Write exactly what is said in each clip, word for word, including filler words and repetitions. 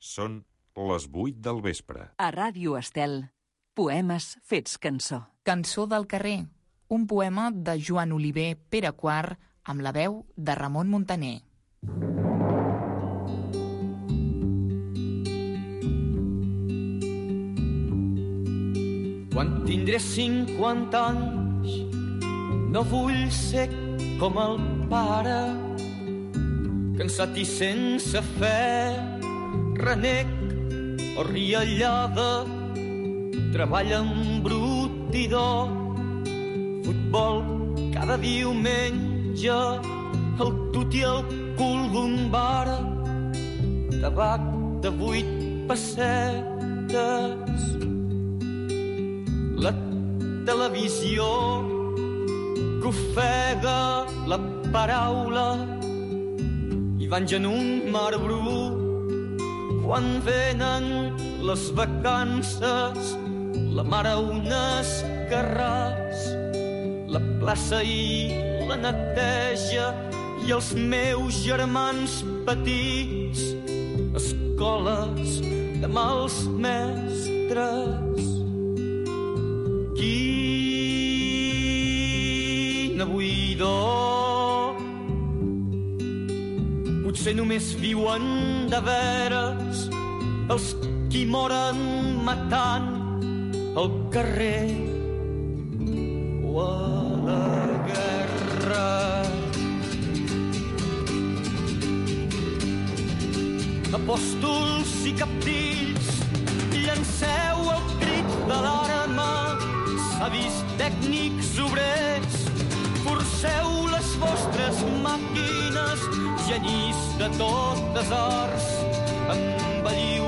Són les vuit del vespre. A Ràdio Estel, poemes fets cançó. Cançó del carrer, un poema de Joan Oliver Pere quart amb la veu de Ramon Muntaner. Quan tindré cinquanta anys no vull ser com el pare, cansat i sense fe, renec o riallada, treballa embrutidor, futbol cada diumenge, el tut i el cul d'un bar, tabac de vuit pessetes, la televisió que ofega la paraula i van en un mar brut quan venen les vacances, la mare unes carràs, la plaça i la neteja i els meus germans petits, escoles de mals mestres. Quina buidor, potser només viuen de veres els qui moren matant al carrer o a la guerra. Apòstols i captills, llanceu el crit de l'arma, savis tècnics obrers, forceu les vostres màquines, genís de totes arts, embelliu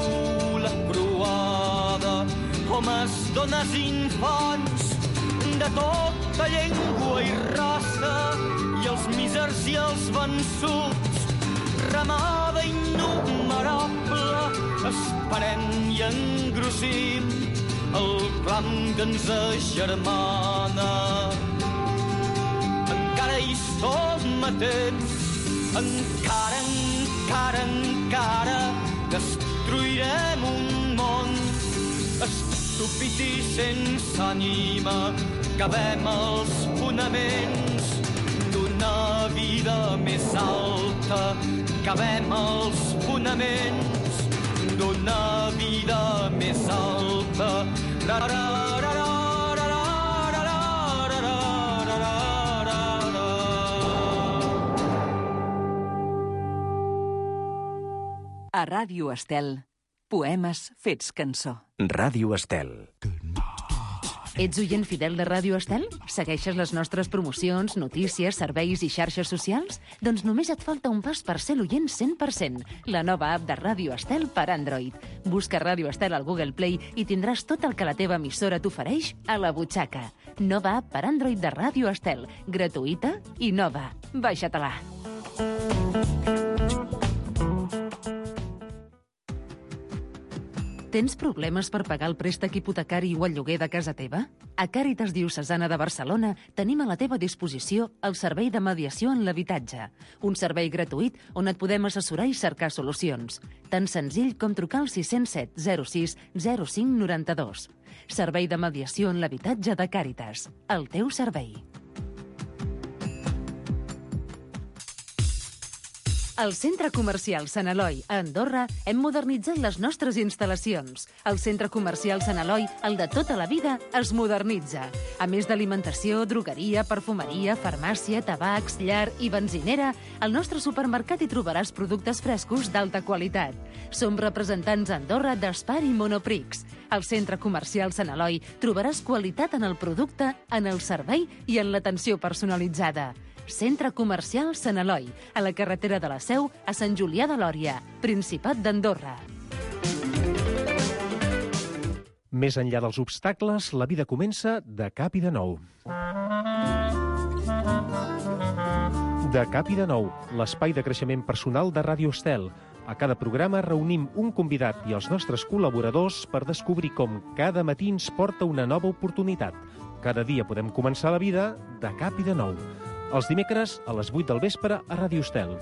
la croada, homes, dones i infants, de tota llengua i raça, i els mísers i els vençuts, ramada innumerable, esperem i engrossim el clam que ens agermana. Encara hi som a temps, encara, encara, encara destruirem un món estúpid i sense ànima, cavem els fonaments d'una vida més alta, cavem els fonaments d'una vida més alta. A Ràdio Estel, poemes fets cançó. Ràdio Estel. Ets oient fidel de Ràdio Estel? Segueixes les nostres promocions, notícies, serveis i xarxes socials? Doncs només et falta un pas per ser l'oient cent per cent. La nova app de Ràdio Estel per Android. Busca Ràdio Estel al Google Play i tindràs tot el que la teva emissora t'ofereix a la butxaca. Nova app per Android de Ràdio Estel. Gratuïta i nova. Baixa-te-la. Tens problemes per pagar el préstec hipotecari o el lloguer de casa teva? A Càritas Diocesana de Barcelona tenim a la teva disposició el servei de mediació en l'habitatge, un servei gratuït on et podem assessorar i cercar solucions. Tan senzill com trucar al sis zero set zero sis zero cinc nou dos. Servei de mediació en l'habitatge de Càritas. El teu servei. Al Centre Comercial Sant Eloi, a Andorra, hem modernitzat les nostres instal·lacions. El Centre Comercial Sant Eloi, el de tota la vida, es modernitza. A més d'alimentació, drogueria, perfumeria, farmàcia, tabacs, llar i benzinera, al nostre supermercat hi trobaràs productes frescos d'alta qualitat. Som representants a Andorra d'Espar i Monoprix. Al Centre Comercial Sant Eloi trobaràs qualitat en el producte, en el servei i en l'atenció personalitzada. Centre Comercial Sant Eloi, a la carretera de la Seu, a Sant Julià de Lòria, Principat d'Andorra. Més enllà dels obstacles, la vida comença de cap i de nou. De cap i de nou, l'espai de creixement personal de Ràdio Estel. A cada programa reunim un convidat i els nostres col·laboradors per descobrir com cada matí ens porta una nova oportunitat. Cada dia podem començar la vida de cap i de nou. Els dimecres a les vuit del vespre a Ràdio Estel.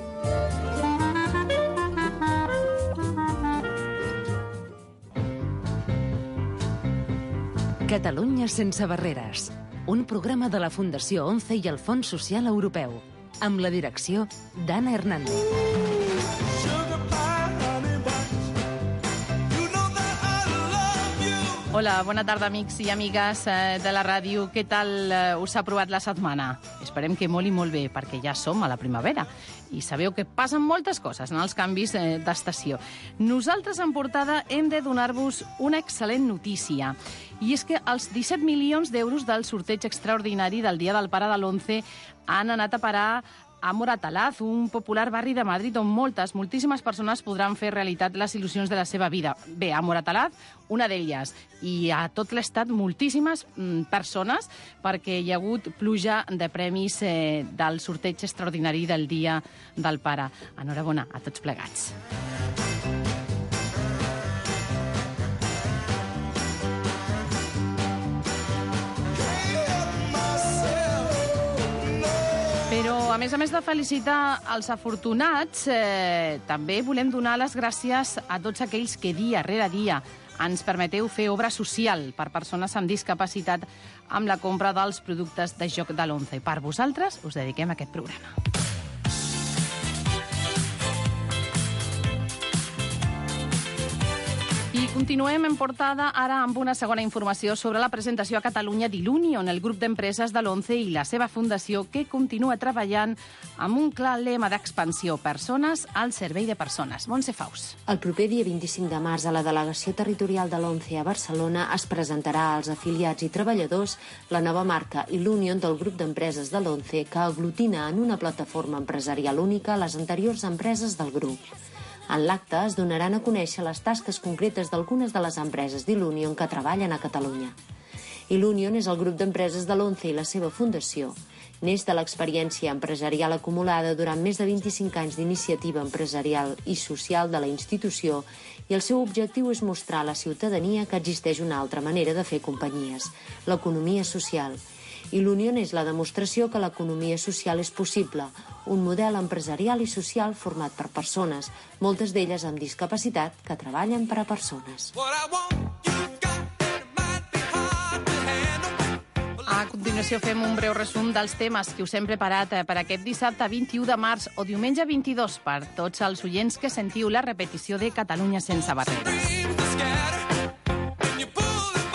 Catalunya sense barreres. Un programa de la Fundació ONCE i el Fons Social Europeu. Amb la direcció d'Anna Hernández. Hola, bona tarda, amics i amigues de la ràdio. Què tal us ha provat la setmana? Esperem que molt i molt bé, perquè ja som a la primavera. I sabeu que passen moltes coses en els canvis d'estació. Nosaltres, en portada, hem de donar-vos una excel·lent notícia. I és que els disset milions d'euros del sorteig extraordinari del Dia del Pare de l'Once han anat a parar a Moratalaz, un popular barri de Madrid on moltes, moltíssimes persones podran fer realitat les il·lusions de la seva vida. Bé, a Moratalaz, una d'elles, i a tot l'estat moltíssimes mm, persones, perquè hi ha hagut pluja de premis eh, del sorteig extraordinari del Dia del Pare. Enhorabona a tots plegats. Però, a més a més de felicitar els afortunats, eh, també volem donar les gràcies a tots aquells que dia rere dia ens permeteu fer obra social per persones amb discapacitat amb la compra dels productes de joc de l'Once. Per vosaltres us dediquem a aquest programa. I continuem en portada ara amb una segona informació sobre la presentació a Catalunya d'Ilunion, el grup d'empreses de l'Once i la seva fundació, que continua treballant amb un clar lema d'expansió: persones al servei de persones. Montse Faus. El proper dia vint-i-cinc de març a la Delegació Territorial de l'Once a Barcelona es presentarà als afiliats i treballadors la nova marca Ilunion del grup d'empreses de l'Once, que aglutina en una plataforma empresarial única les anteriors empreses del grup. En l'acte es donaran a conèixer les tasques concretes d'algunes de les empreses d'Ilunion que treballen a Catalunya. Ilunion és el grup d'empreses de l'Once i la seva fundació. Neix de l'experiència empresarial acumulada durant més de vint-i-cinc anys d'iniciativa empresarial i social de la institució, i el seu objectiu és mostrar a la ciutadania que existeix una altra manera de fer companyies, l'economia social. Ilunion és la demostració que l'economia social és possible, un model empresarial i social format per persones, moltes d'elles amb discapacitat, que treballen per a persones. A continuació fem un breu resum dels temes que us hem preparat per aquest dissabte vint-i-u de març o diumenge vint-i-dos per tots els oients que sentiu la repetició de Catalunya sense barreres.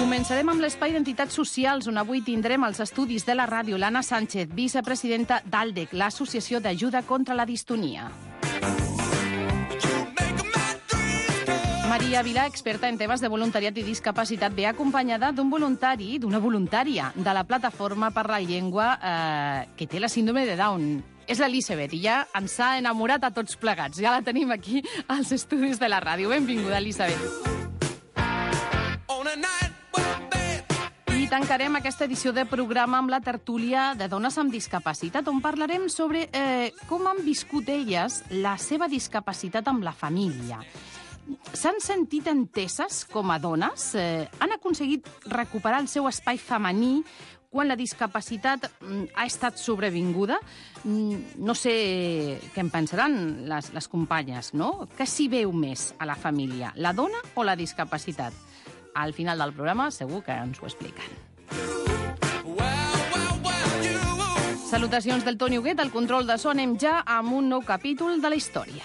Començarem amb l'espai d'entitats socials, on avui tindrem als estudis de la ràdio l'Anna Sánchez, vicepresidenta d'ALDEC, l'Associació d'Ajuda contra la Distonia. Maria Vilà, experta en temes de voluntariat i discapacitat, ve acompanyada d'un voluntari, d'una voluntària de la Plataforma per la Llengua eh, que té la síndrome de Down. És l'Elisabet, i ja ens ha enamorat a tots plegats. Ja la tenim aquí als estudis de la ràdio. Benvinguda, Elisabet. I tancarem aquesta edició de programa amb la tertúlia de dones amb discapacitat, on parlarem sobre eh, com han viscut elles la seva discapacitat amb la família. S'han sentit enteses com a dones? Eh, han aconseguit recuperar el seu espai femení quan la discapacitat mm, ha estat sobrevinguda? Mm, no sé què en pensaran les, les companyes, no? Què s'hi veu més a la família, la dona o la discapacitat? Al final del programa segur que ens ho expliquen. Salutacions del Toni Huguet, al control de so. Anem ja amb un nou capítol de la història.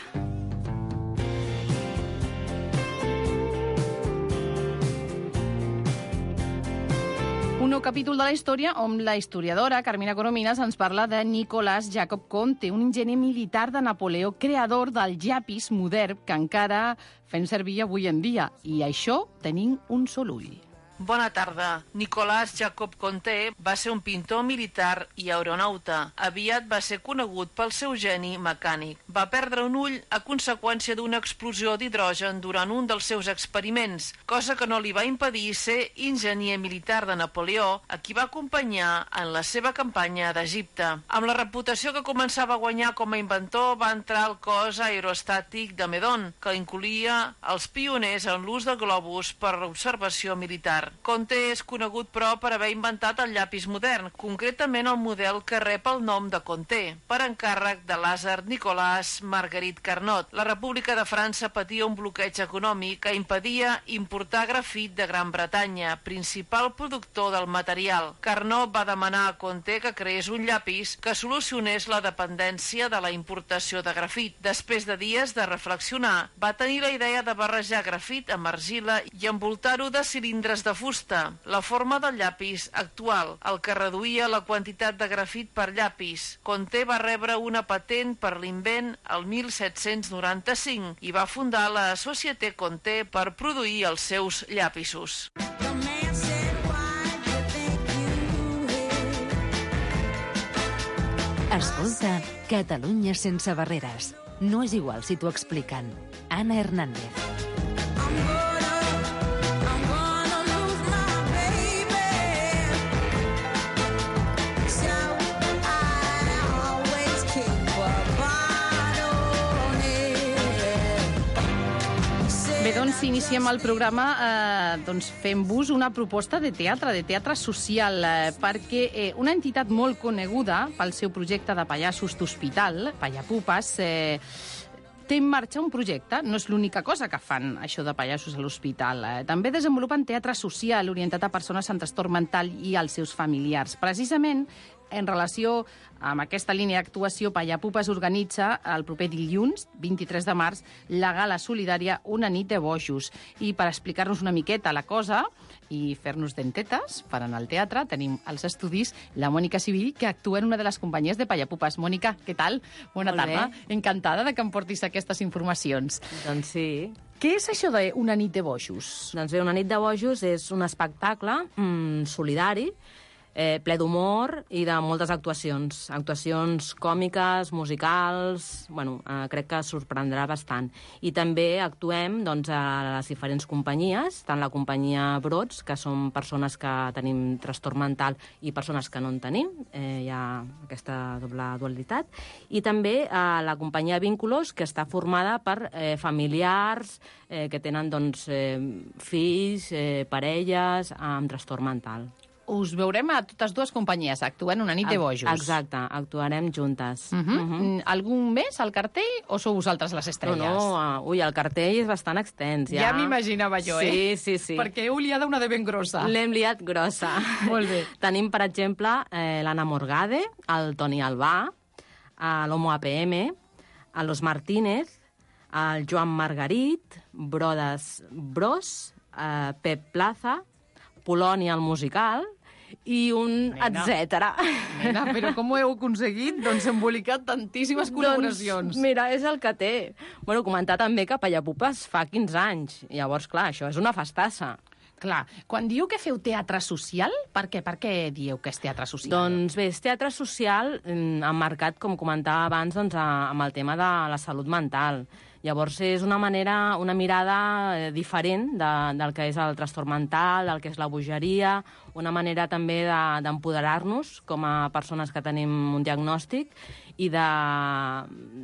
Un nou capítol de la història on la historiadora Carmina Coromines ens parla de Nicolás Jacob Conte, un enginyer militar de Napoleó, creador del llapis modern que encara fem servir avui en dia. I això tenim un sol ull. Bona tarda. Nicolás Jacob Conte va ser un pintor militar i aeronauta. Aviat va ser conegut pel seu geni mecànic. Va perdre un ull a conseqüència d'una explosió d'hidrogen durant un dels seus experiments, cosa que no li va impedir ser enginyer militar de Napoleó, a qui va acompanyar en la seva campanya d'Egipte. Amb la reputació que començava a guanyar com a inventor, va entrar al cos aerostàtic de Meudon, que incloïa els pioners en l'ús de globus per a l'observació militar. modern. Conte és conegut, però, per haver inventat el llapis modern, concretament el model que rep el nom de Conte, per encàrrec de Lazare Nicolas Marguerite Carnot. La República de França patia un bloqueig econòmic que impedia importar grafit de Gran Bretanya, principal productor del material. Carnot va demanar a Conte que creés un llapis que solucionés la dependència de la importació de grafit. Després de dies de reflexionar, va tenir la idea de barrejar grafit amb argila i envoltar-ho de cilindres de fusta, la forma del llapis actual, el que reduïa la quantitat de grafit per llapis. Conte va rebre una patent per l'invent el mil set-cents noranta-cinc i va fundar la Société Conte per produir els seus llapisos. Escolta, Catalunya sense barreres. No és igual si t'ho expliquen. Anna Hernández. Bé, doncs iniciem el programa eh, doncs fent-vos una proposta de teatre, de teatre social, eh, perquè eh, una entitat molt coneguda pel seu projecte de pallassos d'hospital, Pallapupes, eh, té en marxa un projecte. No és l'única cosa que fan, això de pallassos a l'hospital. Eh, també desenvolupen teatre social orientat a persones amb trastorn mental i als seus familiars. Precisament, en relació amb aquesta línia d'actuació, Pallapupes organitza el proper dilluns, vint-i-tres de març, la gala solidària Una nit de bojos. I per explicar-nos una miqueta la cosa i fer-nos dentetes per anar al teatre, tenim als estudis la Mònica Civil, que actua en una de les companyies de Pallapupes. Mònica, què tal? Bona Molt tarda. bé. Encantada de que em portis aquestes informacions. Doncs sí. Què és això d'Una nit de bojos? Doncs bé, Una nit de bojos és un espectacle mm, solidari, eh, ple d'humor i de moltes actuacions. Actuacions còmiques, musicals... Bueno, eh, crec que sorprendrà bastant. I també actuem doncs, a les diferents companyies, tant la companyia Brots, que són persones que tenim trastorn mental, i persones que no en tenim. Eh, hi ha aquesta doble dualitat. I també a la companyia Vínculos, que està formada per eh, familiars eh, que tenen doncs, eh, fills, eh, parelles amb trastorn mental. Us veurem a totes dues companyies actuant Una nit de bojos. Exacte, actuarem juntes. Uh -huh. Uh -huh. Algun més al cartell o sou vosaltres les estrelles? No, no, ui, el cartell és bastant extens. Ja, Ja m'imaginava jo, sí, eh? Sí, sí, sí. Perquè heu liat una de ben grossa. L'hem liat grossa. Molt bé. Tenim, per exemple, eh, l'Anna Morgade, el Toni Albà, a l'Homo A P M, a Los Martínez, el Joan Margarit, Brodes Bros, eh, Pep Plaza, Polònia el musical i un Nena. etcètera. Nena, però com ho heu aconseguit? Doncs embolicat tantíssimes col·laboracions. Doncs, mira, és el que té. Bueno, comentar també que Pallapupes fa quinze anys. Llavors, clar, això és una festassa. Clar, quan diu que feu teatre social, per què? Per què dieu que és teatre social? Doncs bé, és teatre social mm, emmarcat, com comentava abans, doncs, a, amb el tema de la salut mental. Llavors és una manera, una mirada eh, diferent de, del que és el trastorn mental, del que és la bogeria, una manera també de- d'empoderar-nos com a persones que tenim un diagnòstic i de,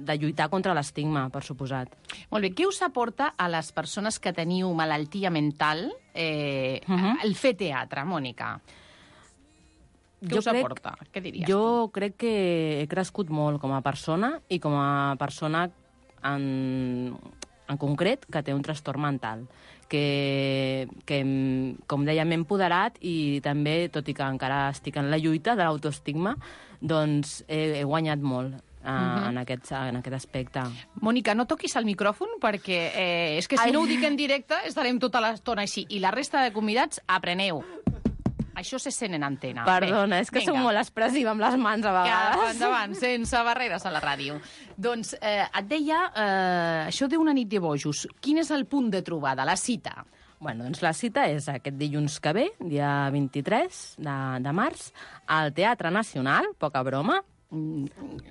de lluitar contra l'estigma, per suposat. Molt bé, què us aporta a les persones que teniu malaltia mental eh, uh -huh. el fer teatre, Mònica? Què us aporta? Què diries? Jo crec que he crescut molt com a persona i com a persona en, en concret que té un trastorn mental, que, que com deia, m'he empoderat i també, tot i que encara estic en la lluita de l'autoestigma, doncs he, he guanyat molt uh, uh-huh. en, aquest, en aquest aspecte. Mònica, no toquis el micròfon perquè eh, és que si Ai. no ho dic en directe estarem tota l'estona així. I la resta de convidats, apreneu. Això se sent en antena. Perdona, Bé, és que vinga. soc molt expressiva amb les mans a Que vegades. endavant, sense barreres a la ràdio. Doncs eh, et deia, eh, això d'Una nit de bojos, quin és el punt de trobada, la cita? Bueno, doncs la cita és aquest dilluns que ve, dia vint-i-tres de, de març, al Teatre Nacional, poca broma. No,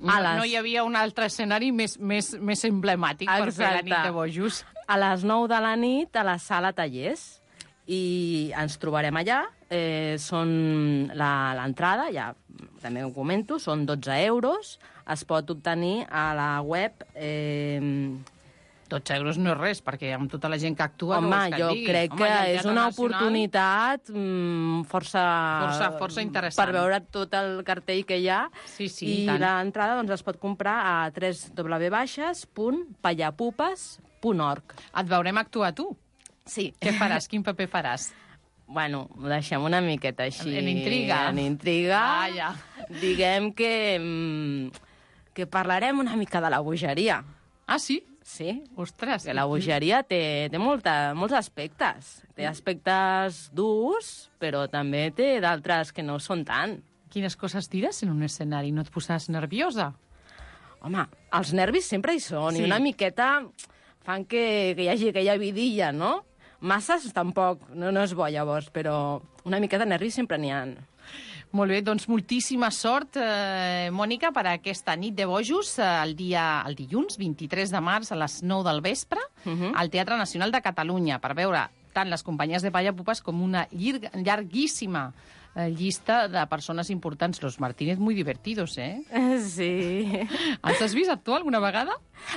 A les- no hi havia un altre escenari més, més, més emblemàtic per fer la nit de bojos. A les nou de la nit a la sala Tallers. I ens trobarem allà. Eh, són la- l'entrada, ja també ho comento, són dotze euros. Es pot obtenir a la web... Eh, dotze euros no és res, perquè amb tota la gent que actua... Home, que jo digui. crec Home, que i el és Teatre una Nacional, oportunitat mm, força... Força, força interessant. Per veure tot el cartell que hi ha. Sí, sí, I i tant. l'entrada doncs, es pot comprar a w w w punt pallapupes punt org. Et veurem actuar tu. Sí. Què faràs? Quin paper faràs? Bueno, ho deixem una miqueta així... En intriga. En intriga. Ah, ja. Diguem que, mm, que parlarem una mica de la bogeria. Ah, sí? Sí. Ostres. Que la bogeria té, té molta, molts aspectes. Té aspectes durs, però també té d'altres que no són tant. Quines coses diràs en un escenari? No et posaràs nerviosa? Home, els nervis sempre hi són, Sí. i una miqueta fan que, que hi hagi aquella vidilla, no? Masses tampoc, no, no és bo llavors, però una miqueta de nervis sempre n'hi ha. Molt bé, doncs moltíssima sort, eh, Mònica, per aquesta nit de bojos, eh, el dia el dilluns, vint-i-tres de març, a les nou del vespre, uh -huh. al Teatre Nacional de Catalunya, per veure tant les companyies de Pallapupes com una llarg, llarguíssima eh, llista de persones importants. Los Martínez muy divertidos, eh? Sí. Els has vist actuar alguna vegada?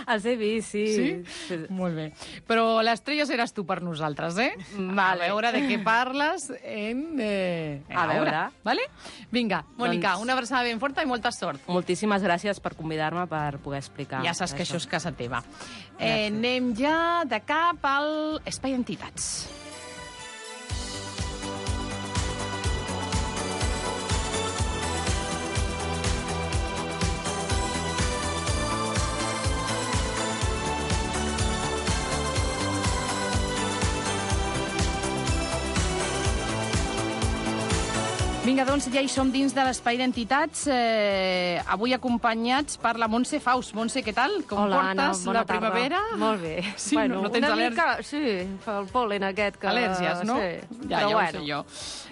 Els he vist, sí. Sí? sí. Molt bé. Però l'estrella seràs tu per nosaltres, eh? Vale. A veure de què parles en, eh, en A veure. obra. Vale? Vinga, Mònica, Doncs- una abraçada ben forta i molta sort. Moltíssimes gràcies per convidar-me per poder explicar. Ja saps que això és casa teva. Eh, Gràcies. anem ja de cap al Espai d'Entitats. Vinga, doncs ja hi som dins de l'Espai d'Entitats, eh, avui acompanyats per la Montse Faust. Montse, què tal? Com Hola, portes Anna, bona la primavera? tarda. Molt bé. Sí, bueno, no, no tens una al·lèrgia? mica, sí, fa el pol·len aquest que... Al·lèrgies, no? Sí, Ja, però ja bueno. ho sé jo.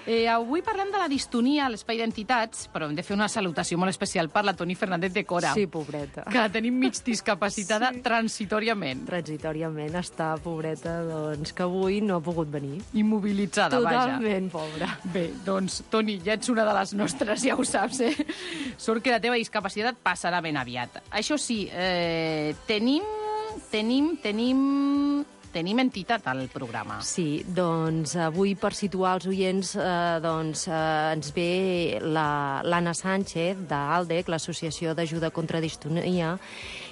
Eh, avui parlem de la distonia a l'Espai d'Entitats, però hem de fer una salutació molt especial per la Toni Fernández de Cora. Sí, pobreta. Que la tenim mig discapacitada sí. transitoriament. Transitoriament està, pobreta, doncs, que avui no ha pogut venir. Immobilitzada, vaja. Totalment, pobra. Bé, doncs, Toni, ja ets una de les nostres, ja ho saps, eh? Sort que la teva discapacitat passarà ben aviat. Això sí, eh, tenim, tenim, tenim... Tenim entitat al programa. Sí, doncs avui per situar els oients eh, doncs, eh, ens ve la- l'Anna Sánchez d'ALDEC, l'Associació d'Ajuda contra Distonia.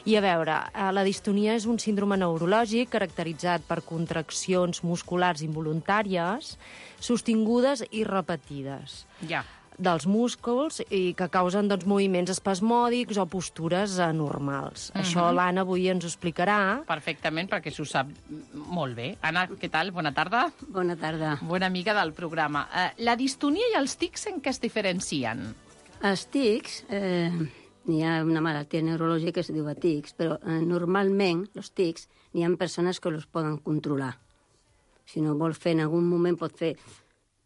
I a veure, eh, la distonia és un síndrome neurològic caracteritzat per contraccions musculars involuntàries sostingudes i repetides Ja. dels músculs i que causen doncs, moviments espasmòdics o postures anormals. Mhm. Això l'Anna avui ens ho explicarà. Perfectament, perquè s'ho sap molt bé. Anna, què tal? Bona tarda. Bona tarda. Bona amiga del programa. Eh, la distonia i els tics en què es diferencien? Els tics, eh, n'hi ha una malaltia neurològica que es diu tics, però eh, normalment els tics n'hi ha persones que els poden controlar. Si no vol fer en algun moment pot fer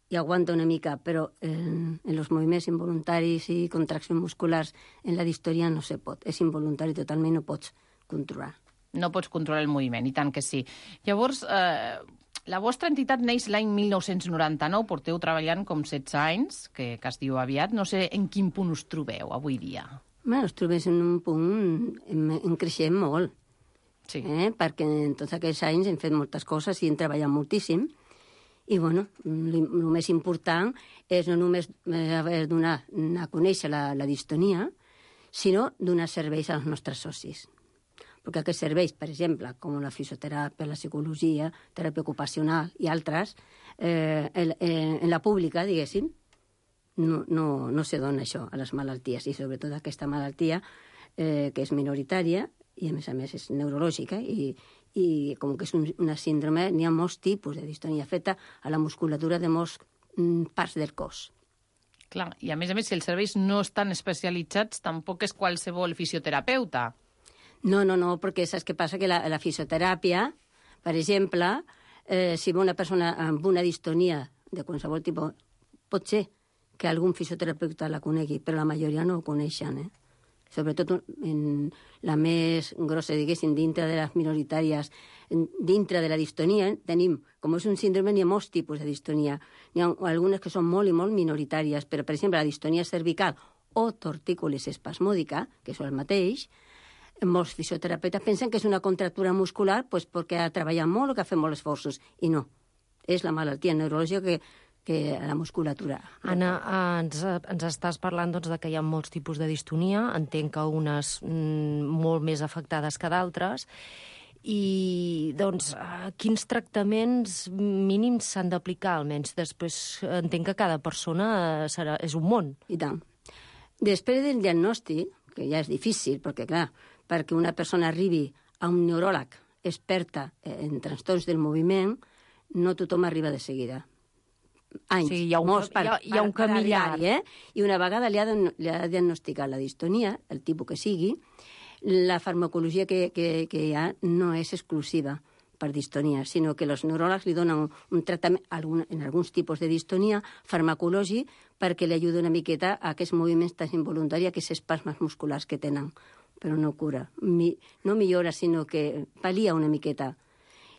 i aguanta una mica, però en, en els moviments involuntaris i contraccions musculars en la distonia no se pot. És involuntari totalment, no pots controlar. No pots controlar el moviment, i tant que sí. Llavors, eh, la vostra entitat neix l'any mil nou-cents noranta-nou, porteu treballant com setze anys, que, que es diu aviat. No sé en quin punt us trobeu avui dia. Bé, ens trobem en un punt en, en creixent molt, sí. eh? perquè en tots aquests anys hem fet moltes coses i hem treballat moltíssim. I, bueno, el més important és no només eh, donar a conèixer la, la distonia, sinó donar serveis als nostres socis. Perquè aquests serveis, per exemple, com la fisioteràpia, la psicologia, teràpia ocupacional i altres, eh, en, en la pública, diguéssim, no, no, no se dona això a les malalties, i sobretot aquesta malaltia eh, que és minoritària i, a més a més, és neurològica i, i com que és un, una síndrome, n'hi ha molts tipus de distonia feta a la musculatura de molts mm, parts del cos. Clar, i a més a més, si els serveis no estan especialitzats, tampoc és qualsevol fisioterapeuta. No, no, no, perquè saps què passa? Que la, la fisioteràpia, per exemple, eh, si ve una persona amb una distonia de qualsevol tipus, pot ser que algun fisioterapeuta la conegui, però la majoria no ho coneixen, eh? Sobretot en la més grossa, diguéssim, dintre de les minoritàries, dintre de la distonia, tenim, com és un síndrome, n'hi ha molts tipus de distonia. N'hi ha algunes que són molt i molt minoritàries, però, per exemple, la distonia cervical o tortícolis espasmòdica, que és el mateix, molts fisioterapeutes pensen que és una contractura muscular pues, perquè ha treballat molt o que ha fet molts esforços, i no. És la malaltia neurològica que, que la musculatura. Anna, ens, ens estàs parlant doncs, de que hi ha molts tipus de distonia, entenc que unes mm, molt més afectades que d'altres, i doncs quins tractaments mínims s'han d'aplicar almenys? Després entenc que cada persona serà, és un món. I tant. Després del diagnòstic, que ja és difícil, perquè clar, perquè una persona arribi a un neuròleg experta en trastorns del moviment, no tothom arriba de seguida. Anys, sí, hi ha un, molts per, hi ha, hi ha un per, camí per llarg. Eh? I una vegada li ha, li ha diagnosticat la distonia, el tipus que sigui, la farmacologia que, que, que hi ha no és exclusiva per distonia, sinó que els neuròlegs li donen un, un tractament, algun, en alguns tipus de distonia, farmacològic, perquè li ajuda una miqueta a aquests moviments tan involuntaris, aquests espasmes musculars que tenen, però no cura. Mi, no millora, sinó que pal·lia una miqueta.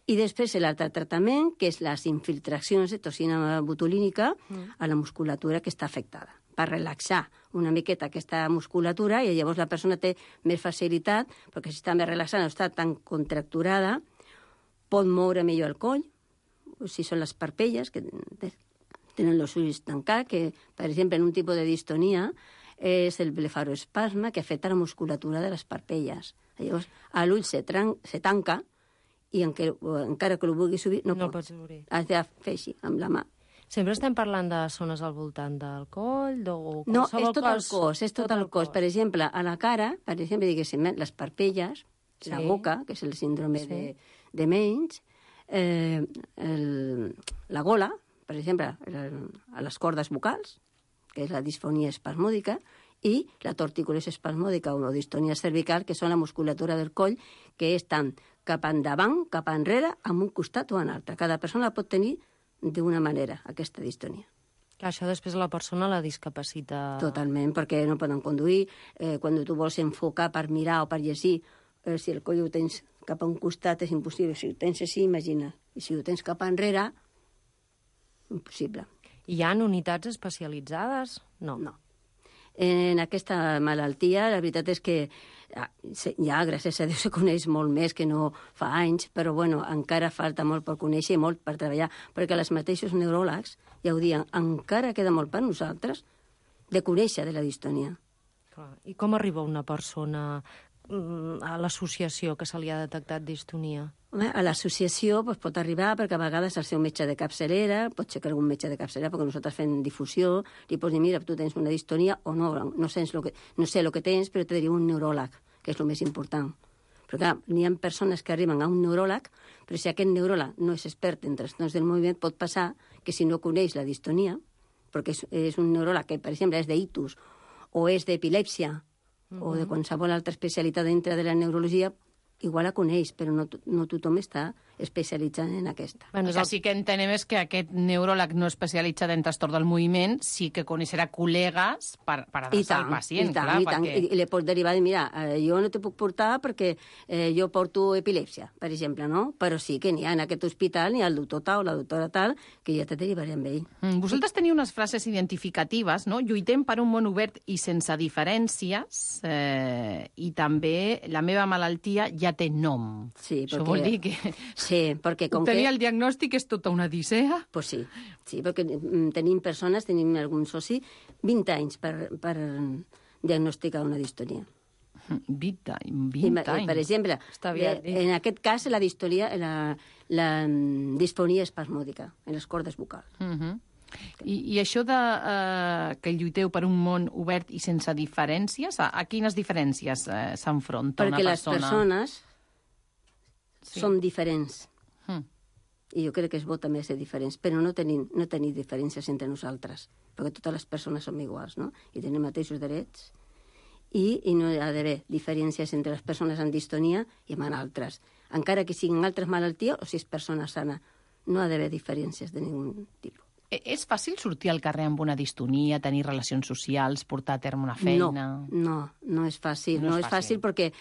I després l'altre tractament, que és les infiltracions de toxina botulínica mm. a la musculatura que està afectada, per relaxar una miqueta aquesta musculatura, i llavors la persona té més facilitat, perquè si està més relaxada, no està tan contracturada, pot moure millor el coll, si són les parpelles, que tenen els ulls tancats, que, per exemple, en un tipus de distonia és el blefaroespasme que afecta la musculatura de les parpelles. Llavors, l'ull se, se tanca i encara, encara que el vulgui subir, no, no pot. pots obrir. Has de fer així, amb la mà. Sempre estem parlant de zones al voltant del coll? De... No, és tot el cos, és tot, tot el cos. cos. Per exemple, a la cara, per exemple, diguéssim, les parpelles, sí. La boca, que és el síndrome sí. de, de Menys, eh, el, la gola, per exemple, el, a les cordes vocals, que és la disfonia espasmòdica, i la torticulosi espasmòdica o distonia cervical, que són la musculatura del coll, que és tant cap endavant, cap enrere, amb un costat o en altre. Cada persona pot tenir d'una manera, aquesta distonia. Que això després la persona la discapacita... Totalment, perquè no poden conduir. Eh, quan tu vols enfocar per mirar o per llegir, eh, si el coll ho tens cap a un costat és impossible. Si ho tens així, imagina. I si ho tens cap enrere, impossible. Hi ha unitats especialitzades? No. No. En aquesta malaltia, la veritat és que ja, gràcies a Déu, se coneix molt més que no fa anys, però bueno, encara falta molt per conèixer i molt per treballar, perquè els mateixos neuròlegs ja ho diuen, encara queda molt per nosaltres de conèixer de la distonia. Clar. I com arriba una persona a l'associació que se li ha detectat distonia? A l'associació doncs, pot arribar perquè a vegades el seu metge de capçalera, pot ser que algun metge de capçalera, perquè nosaltres fem difusió, li pots dir, mira, tu tens una distonia o no, no, sents lo que, no sé el que tens, però te diria un neuròleg, que és el més important. Però clar, n'hi ha persones que arriben a un neuròleg, però si aquest neuròleg no és expert en trastorns del moviment, pot passar que si no coneix la distonia, perquè és, és un neuròleg que, per exemple, és d'ictus o és d'epilèpsia, Uh-huh. o de qualsevol altra especialitat dintre de la neurologia, igual la coneix, però no, no tothom està especialitzat en aquesta. Bueno, el que sí que entenem és que aquest neuròleg no especialitzat en trastorn del moviment sí que coneixerà col·legues per, per adreçar al pacient. I tant, clar, i tant. perquè... I, i li pot derivar de, mira, eh, jo no te puc portar perquè eh, jo porto epilèpsia, per exemple, no? Però sí que n'hi ha en aquest hospital, n'hi ha el doctor tal o la doctora tal, que ja te derivaré amb ell. Mm, vosaltres teniu unes frases identificatives, no? Lluitem per un món obert i sense diferències, eh, i també la meva malaltia ja té nom. Sí, Això perquè... vol dir que... Sí, perquè com Obtenir que... el diagnòstic és tota una odissea? Pues sí, sí, perquè tenim persones, tenim algun soci, vint anys per, per diagnosticar una distonia. vint anys, vint I, anys. per exemple, de, en aquest cas la distonia, la, la disfonia espasmòdica en les cordes vocals. Uh -huh. I, I això de eh, que lluiteu per un món obert i sense diferències, a, a quines diferències eh, s'enfronta una persona? Perquè les persones sí. són diferents. Hmm. I jo crec que és bo també ser diferents, però no tenim, no tenim diferències entre nosaltres, perquè totes les persones som iguals, no? I tenim mateixos drets, i, i no hi ha d'haver diferències entre les persones amb distonia i amb altres. Encara que siguin altres malalties o si és persona sana, no ha d'haver diferències de ningun tipus. És fàcil sortir al carrer amb una distonia, tenir relacions socials, portar a terme una feina? No, no, no és fàcil. No, no és, és fàcil. fàcil perquè,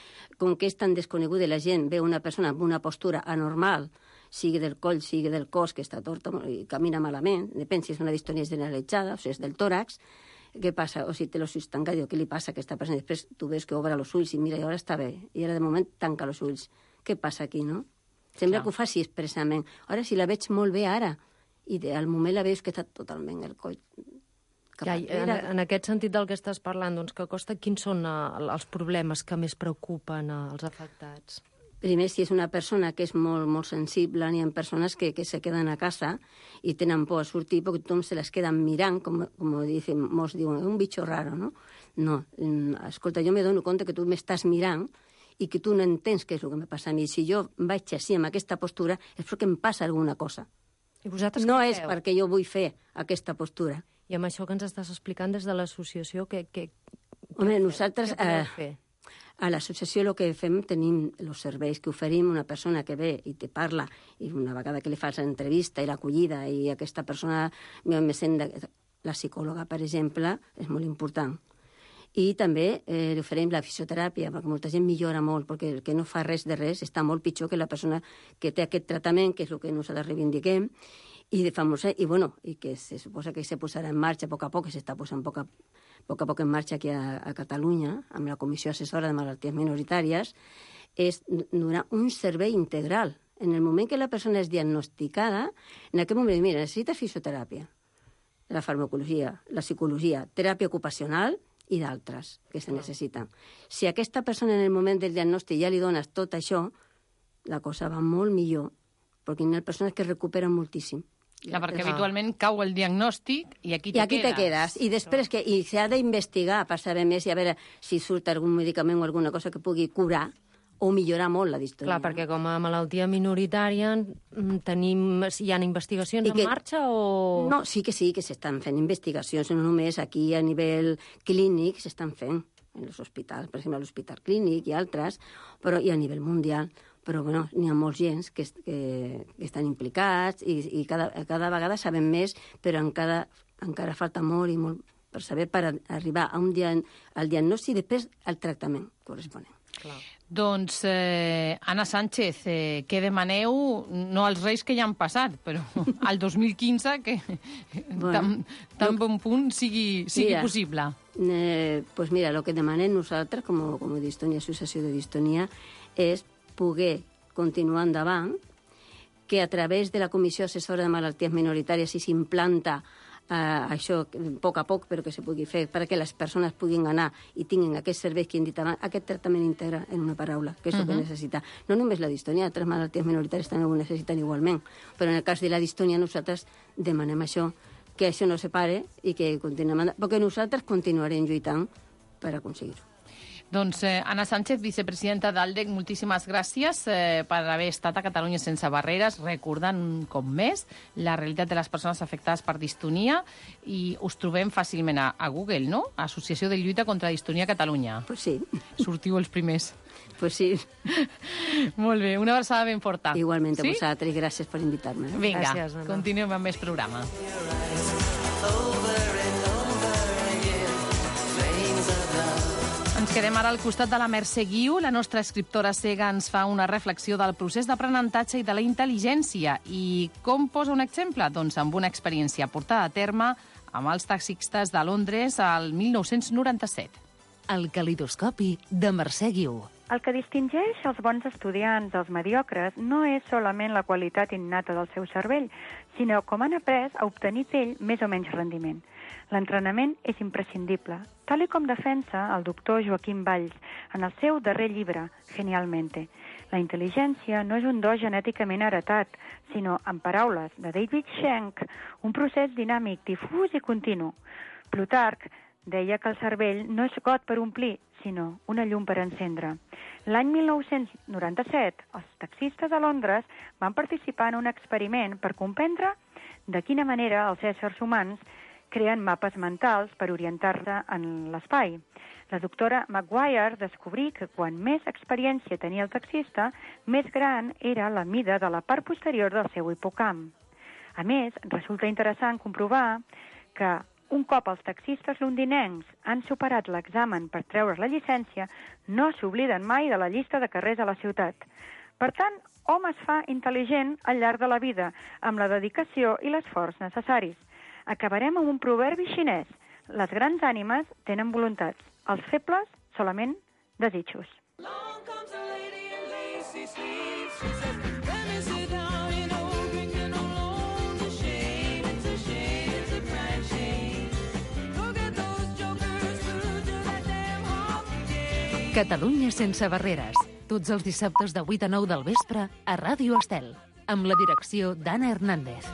com que és tan desconeguda, la gent ve una persona amb una postura anormal, sigui del coll, sigui del cos, que està torta i camina malament, depèn si és una distonia generalitzada o si és del tòrax, què passa? O si té els ulls tancats, diu, què li passa a aquesta persona? Després tu veus que obre els ulls i mira, i ara està bé. I ara de moment tanca els ulls. Què passa aquí, no? Sembla que ho faci expressament. Ara, si la veig molt bé ara, i de, al moment la veus que està totalment el coll cap ja, en, en aquest sentit del que estàs parlant, doncs, que costa, quins són uh, els problemes que més preocupen uh, els afectats? Primer, si és una persona que és molt, molt sensible, n'hi ha persones que, que se queden a casa i tenen por a sortir perquè tothom se les queda mirant, com, com dicen, molts diuen, un bicho raro, no? No, escolta, jo me dono compte que tu m'estàs mirant i que tu no entens què és el que me passa a mi. Si jo vaig així, amb aquesta postura, és perquè em passa alguna cosa. I vosaltres no què és feu? perquè jo vull fer aquesta postura. I amb això que ens estàs explicant des de l'associació, què, què, Home, què nosaltres... Què podeu eh, fer? A l'associació el que fem, tenim els serveis que oferim, una persona que ve i te parla, i una vegada que li fas l'entrevista i l'acollida, i aquesta persona me sent... De... La psicòloga, per exemple, és molt important. I també eh, li oferim la fisioteràpia, perquè molta gent millora molt, perquè el que no fa res de res està molt pitjor que la persona que té aquest tractament, que és el que nosaltres reivindiquem, i de famosa, i bueno, i que se suposa que se posarà en marxa a poc a poc, que s'està posant a poc a, poc a poc en marxa aquí a, a Catalunya, amb la Comissió Assessora de Malalties Minoritàries, és donar un servei integral. En el moment que la persona és diagnosticada, en aquest moment, mira, necessita fisioteràpia, la farmacologia, la psicologia, teràpia ocupacional i d'altres que se necessiten. Si a aquesta persona en el moment del diagnòstic ja li dones tot això, la cosa va molt millor, perquè hi ha persones que recuperen moltíssim. Clar, perquè habitualment cau el diagnòstic i aquí te I aquí quedes. te quedes. I després que i s'ha d'investigar per saber més i a veure si surt algun medicament o alguna cosa que pugui curar o millorar molt la distonia. Clar, perquè com a malaltia minoritària tenim, hi ha investigacions que, en marxa o...? No, sí que sí, que s'estan fent investigacions, no només aquí a nivell clínic s'estan fent en els hospitals, per exemple l'Hospital Clínic i altres, però i a nivell mundial. Però bueno, n'hi ha molts gens que, que, que estan implicats i, i cada, cada vegada sabem més, però encara, encara falta molt i molt per saber per arribar a un dia, al diagnòstic i després al tractament corresponent. Clar. Doncs, eh, Anna Sánchez, eh, què demaneu, no als Reis que ja han passat, però al dos mil quinze, que bueno, tan, tan bon punt sigui, sigui mira, possible? Eh, pues mira, el que demanem nosaltres, com, com a Distonia, Associació de Distonia, és poder continuar endavant, que a través de la Comissió Assessora de Malalties Minoritàries si s'implanta eh, això a poc a poc, però que se pugui fer perquè les persones puguin anar i tinguin aquests serveis que hem dit abans, aquest tractament integre en una paraula, que és el uh-huh. que necessita. No només la distonia, altres malalties minoritàries també ho necessiten igualment, però en el cas de la distonia nosaltres demanem això, que això no se pare i que continuem, perquè nosaltres continuarem lluitant per aconseguir-ho. Doncs eh, Anna Sánchez, vicepresidenta d'Aldec, moltíssimes gràcies eh, per haver estat a Catalunya sense barreres, recordant un cop més la realitat de les persones afectades per distonia, i us trobem fàcilment a, a Google, no? Associació de Lluita contra Distonia a Catalunya. Pues sí. Sortiu els primers. Pues sí. Molt bé, una abraçada ben forta. Igualment a sí? vosaltres, gràcies per invitar-me. Vinga, gràcies, continuem amb més programa. Ens quedem ara al costat de la Mercè Guiu. La nostra escriptora cega ens fa una reflexió del procés d'aprenentatge i de la intel·ligència. I com posa un exemple? Doncs amb una experiència portada a terme amb els taxistes de Londres al mil nou-cents noranta-set. El calidoscopi de Mercè Guiu. El que distingeix els bons estudiants dels mediocres no és solament la qualitat innata del seu cervell, sinó com han après a obtenir d'ell més o menys rendiment. L'entrenament és imprescindible, tal i com defensa el doctor Joaquim Valls en el seu darrer llibre, Genialmente. La intel·ligència no és un do genèticament heretat, sinó, en paraules de David Schenck, un procés dinàmic, difús i continu. Plutarc deia que el cervell no és got per omplir, sinó una llum per encendre. L'any mil nou-cents noranta-set, els taxistes de Londres van participar en un experiment per comprendre de quina manera els éssers humans creen mapes mentals per orientar-se en l'espai. La doctora Maguire descobrí que quan més experiència tenia el taxista, més gran era la mida de la part posterior del seu hipocamp. A més, resulta interessant comprovar que un cop els taxistes londinencs han superat l'examen per treure la llicència, no s'obliden mai de la llista de carrers a la ciutat. Per tant, hom es fa intel·ligent al llarg de la vida, amb la dedicació i l'esforç necessaris. Acabarem amb un proverbi xinès. Les grans ànimes tenen voluntats, els febles solament desitjos. Catalunya sense barreres. Tots els dissabtes de vuit a nou del vespre a Ràdio Estel, amb la direcció d'Anna Hernández.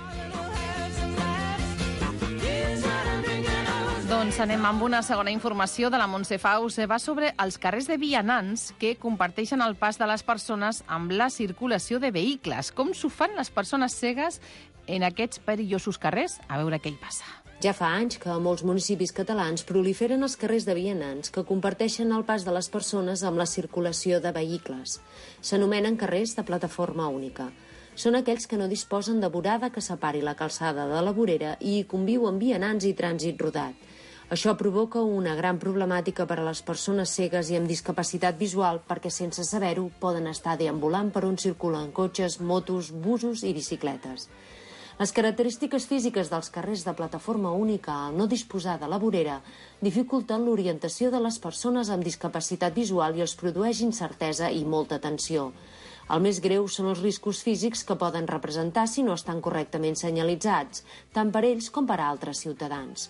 Doncs anem amb una segona informació de la Montse Faus. Va sobre els carrers de vianants que comparteixen el pas de les persones amb la circulació de vehicles. Com s'ho fan les persones cegues en aquests perillosos carrers? A veure què hi passa. Ja fa anys que a molts municipis catalans proliferen els carrers de vianants que comparteixen el pas de les persones amb la circulació de vehicles. S'anomenen carrers de plataforma única. Són aquells que no disposen de vorada que separi la calçada de la vorera i hi conviuen vianants i trànsit rodat. Això provoca una gran problemàtica per a les persones cegues i amb discapacitat visual perquè, sense saber-ho, poden estar deambulant per on circulen cotxes, motos, busos i bicicletes. Les característiques físiques dels carrers de plataforma única al no disposar de la vorera dificulten l'orientació de les persones amb discapacitat visual i els produeix incertesa i molta tensió. El més greu són els riscos físics que poden representar si no estan correctament senyalitzats, tant per ells com per a altres ciutadans.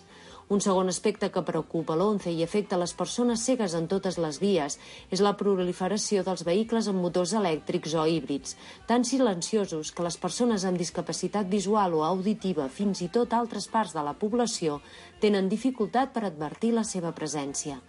Un segon aspecte que preocupa l'ONCE i afecta les persones cegues en totes les vies és la proliferació dels vehicles amb motors elèctrics o híbrids, tan silenciosos que les persones amb discapacitat visual o auditiva, fins i tot altres parts de la població, tenen dificultat per advertir la seva presència.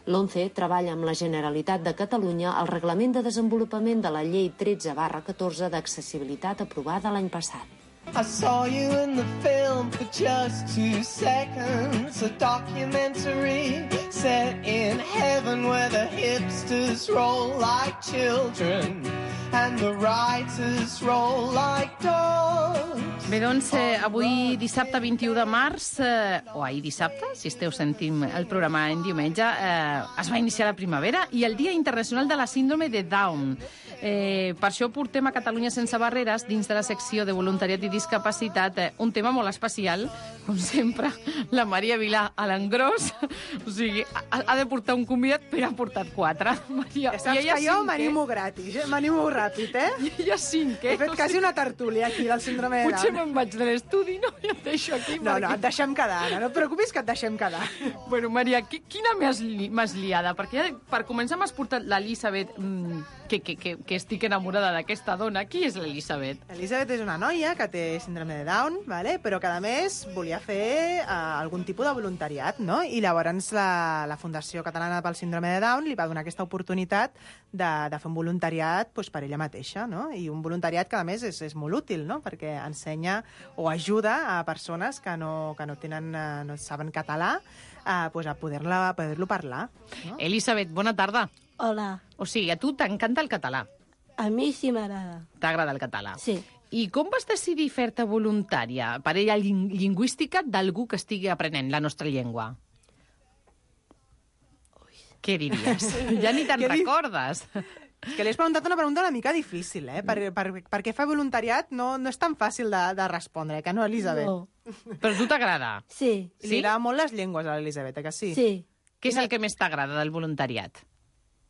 L'ONCE treballa amb la Generalitat de Catalunya al Reglament de Desenvolupament de la Llei tretze barra catorze d'accessibilitat aprovada l'any passat. I saw you in the film for just two seconds, a documentary set in heaven where the hipsters roll like children and the writers roll like dogs. Bé, doncs, eh, avui dissabte vint-i-u de març, eh, o ahir dissabte, si esteu sentint el programa en diumenge, eh, es va iniciar la primavera i el Dia Internacional de la Síndrome de Down. Eh, per això portem a Catalunya sense barreres, dins de la secció de voluntariat i discapacitat, eh, un tema molt especial, com sempre, la Maria Vilà a l'engròs. O sigui, ha, ha de portar un convidat, però ha portat quatre. Maria, ja saps que jo m'animo gratis, eh? m'animo ràpid, eh? Ja, ja cinc, eh? He fet quasi una tertúlia aquí del síndrome de Down. Potser me'n vaig de l'estudi, no? I et deixo aquí. No, perquè... no, et deixem quedar, Anna. No et preocupis que et deixem quedar. Bueno, Maria, qui, quina m'has li, liada? Perquè ja, per començar m'has portat l'Elisabet, mmm, que, que, que, que estic enamorada d'aquesta dona. Qui és l'Elisabet? L'Elisabet és una noia que té síndrome de Down, vale? Però que, a més, volia fer uh, algun tipus de voluntariat, no? I llavors la, la Fundació Catalana pel Síndrome de Down li va donar aquesta oportunitat de, de fer un voluntariat pues, per ella mateixa, no? I un voluntariat que, a més, és, és molt útil, no? Perquè ensenya o ajuda a persones que no, que no, tenen, uh, no saben català uh, pues, a poder-lo poder parlar. No? Elisabet, bona tarda. Hola. O sigui, a tu t'encanta el català? A mi sí m'agrada. T'agrada el català? Sí. I com vas decidir fer-te voluntària, parella ling lingüística d'algú que estigui aprenent la nostra llengua? Ui. Què diries? Ja ni te'n recordes. És que li has preguntat una pregunta una mica difícil, eh? Per, per, perquè fer voluntariat no, no és tan fàcil de, de respondre, que no, Elisabet? No. Però a tu t'agrada? Sí. Li sí? agrada molt les llengües a l'Elisabet, eh, que sí? Sí. Què és el que més t'agrada del voluntariat?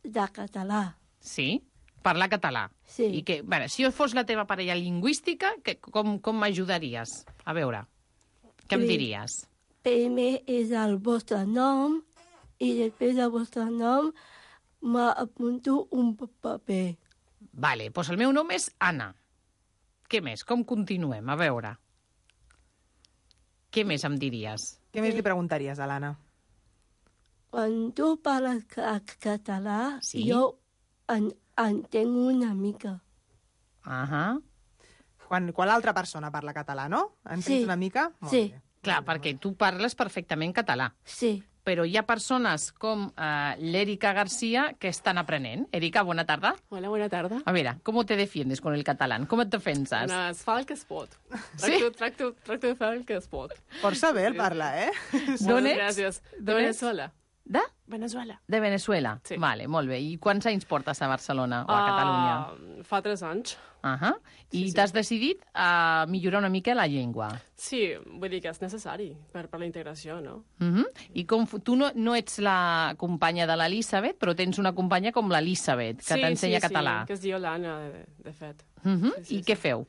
De català. Sí? Parlar català? Sí. I que, bueno, si jo fos la teva parella lingüística, que, com, com m'ajudaries? A veure, què em diries? Primer és el vostre nom i després del vostre nom m'apunto un paper. Vale, doncs el meu nom és Anna. Què més? Com continuem? A veure. Què més em diries? Què més li preguntaries a l'Anna? Quan tu parles català, sí? jo en, entenc una mica. Uh -huh. Quan, quan l'altra persona parla català, no? Entens sí. una mica? Molt sí. bé. Clar, perquè tu parles perfectament català. Sí. Però hi ha persones com uh, l'Erika García que estan aprenent. Erika, bona tarda. Hola, bona tarda. A veure, com te defiendes con el catalán? Com et defenses? No, es fa el que es pot. Sí? Tracto, tracto, tracto de fer el que es pot. Força bé el parla, eh? D'on ets? Gràcies. De Venezuela. De? Venezuela. De Venezuela? Sí. Vale, molt bé. I quants anys portes a Barcelona o a Catalunya? Uh, fa tres anys. Uh -huh. I Sí, sí. t'has decidit a millorar una mica la llengua. Sí, vull dir que és necessari per, per la integració, no? Uh -huh. I com, tu no, no ets la companya de l'Elisabet, però tens una companya com l'Elisabet, que sí, t'ensenya sí, català. Sí, que es diu Lana, de, de fet. Uh -huh. Sí, sí, I què feu?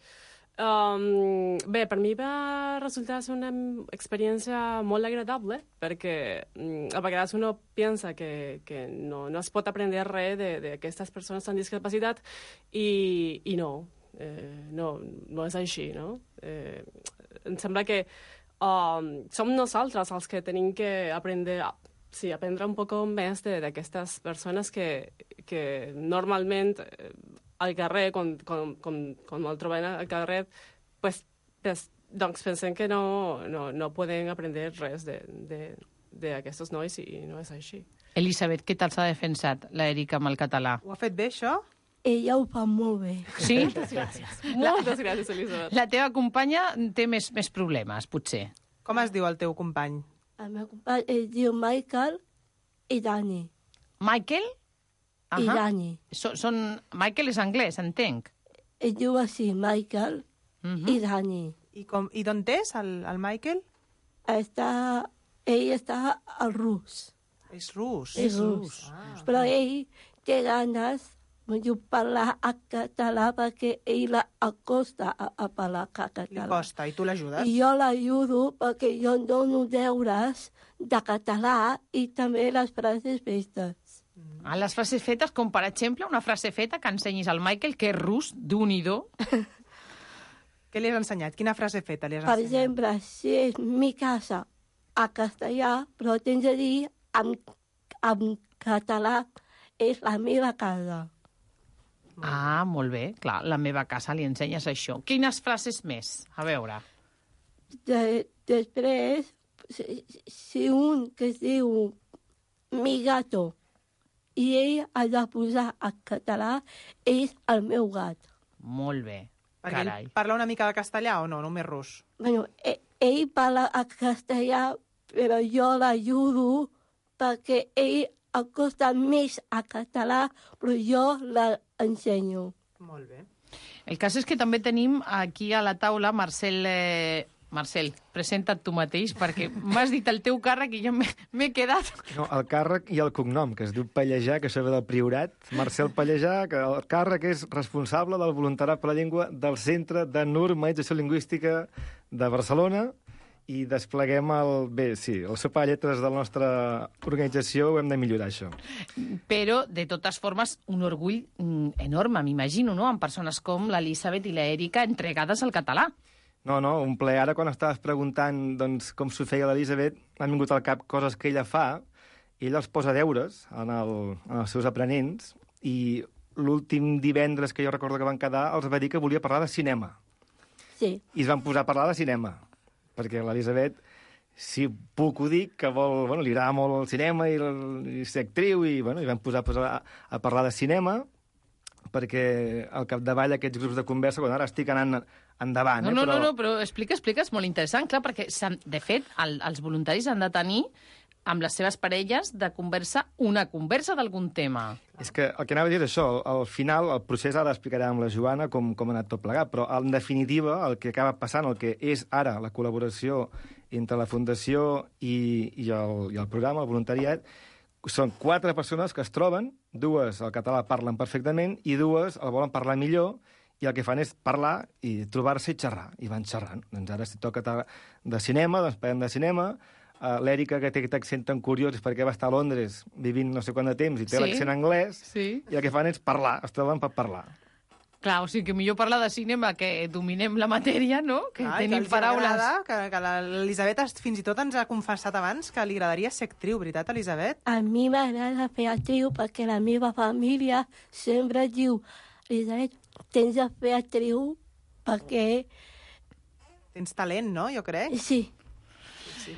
Um, bé, per mi va resultar ser una experiència molt agradable, perquè um, a vegades uno pensa que, que no, no es pot aprendre res d'aquestes persones amb discapacitat i, i no, eh, no, no és així, no? Eh, em sembla que um, som nosaltres els que tenim que aprendre, sí, aprendre un poc més d'aquestes persones que, que normalment eh, al carrer, quan, quan, quan, quan el trobem al carrer, pues, pues, doncs pensem que no, no, no poden aprendre res d'aquests nois i no és així. Elisabet, què tal s'ha defensat l'Èrica amb el català? Ho ha fet bé, això? Ella ho fa molt bé. Sí? Moltes gràcies. Moltes gràcies, Elisabet. La teva companya té més, més problemes, potser. Com es diu el teu company? El meu company es diu Michael i Dani. Michael? I Dani. So, són... Michael és anglès, entenc. Es diu així, Michael Uh-huh. i Dani. I, com, i d'on és el, el Michael? Està, ell està al rus. És rus? És rus. Ah. Però ell té ganes de parlar a català perquè ell l'acosta a, a parlar a català. Li costa, i tu l'ajudes? I jo l'ajudo perquè jo dono deures de català i també les frases festes. A les frases fetes, com per exemple una frase feta que ensenyis al Michael, que és rus, d'un-i-do. Què li has ensenyat? Quina frase feta li has Per ensenyat? exemple, si és mi casa a castellà, però tens de dir en, en català és la meva casa. Ah, molt bé. Clar, la meva casa li ensenyes això. Quines frases més? A veure. De, després, si, si un que es diu mi gato i ell ha de posar a català, és el meu gat. Molt bé. Perquè Carai. ell parla una mica de castellà o no? Només rus? Bueno, ell, ell parla a castellà, però jo l'ajudo perquè ell acosta més a català, però jo l'ensenyo. Molt bé. El cas és que també tenim aquí a la taula Marcel... Eh... Marcel, presenta't tu mateix, perquè m'has dit el teu càrrec i jo m'he quedat... No, el càrrec i el cognom, que es diu Pallejà, que això ve del Priorat. Marcel Pallejà, que el càrrec és responsable del voluntariat per la llengua del Centre de Normalització Lingüística de Barcelona, i despleguem el... Bé, sí, el sopa de lletres de la nostra organització, ho hem de millorar, això. Però, de totes formes, un orgull mm, enorme, m'imagino, no?, amb persones com l'Elisabet i l'Èrica entregades al català. No, no, un ple. Ara, quan estaves preguntant doncs, com s'ho feia l'Elisabet, m'han vingut al cap coses que ella fa, i ella els posa deures en, el, en els seus aprenents, i l'últim divendres que jo recordo que van quedar els va dir que volia parlar de cinema. Sí. I es van posar a parlar de cinema, perquè l'Elisabet, si puc ho dic, que vol, bueno, li agrada molt el cinema i, el, i ser actriu, i, bueno, i van posar, posar a, a parlar de cinema, perquè al capdavall aquests grups de conversa, quan ara estic anant endavant... No, eh, no, però... no, no, però explica, explica, és molt interessant, clar, perquè, de fet, el, els voluntaris han de tenir amb les seves parelles de conversa una conversa d'algun tema. És que el que anava a dir és això, al final, el procés ara l'explicarà amb la Joana com, com ha anat tot plegat, però en definitiva el que acaba passant, el que és ara la col·laboració entre la Fundació i, i, el, i el programa, el voluntariat, són quatre persones que es troben, dues el català parlen perfectament i dues el volen parlar millor, i el que fan és parlar i trobar-se i xerrar, i van xerrant. Doncs ara si toca de cinema, doncs parlem de cinema. Uh, L'Èrica, que té aquest accent tan curiós, és perquè va estar a Londres vivint no sé quant de temps i té Sí. l'accent anglès, Sí. i el que fan és parlar, es troben per parlar. Clar, o sigui que millor parlar de cinema, que dominem la matèria, no?, que Ah, tenim que els paraules... agrada, que, que l'Elisabet fins i tot ens ha confessat abans que li agradaria ser actriu, veritat, Elisabet? A mi m'agrada fer actriu perquè la meva família sempre diu Elisabet, tens de fer actriu perquè... Tens talent, no?, jo crec. Sí. Sí.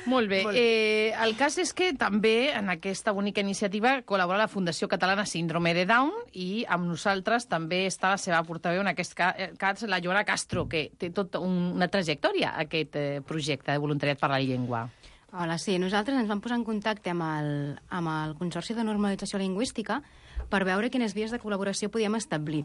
Molt bé. Molt bé. Eh, el cas és que també en aquesta bonica iniciativa col·labora la Fundació Catalana Síndrome de Down i amb nosaltres també està la seva portaveu, en aquest cas la Joana Castro, que té tota una trajectòria aquest eh, projecte de voluntariat per la llengua. Hola, sí, nosaltres ens vam posar en contacte amb el, amb el Consorci de Normalització Lingüística per veure quines vies de col·laboració podíem establir.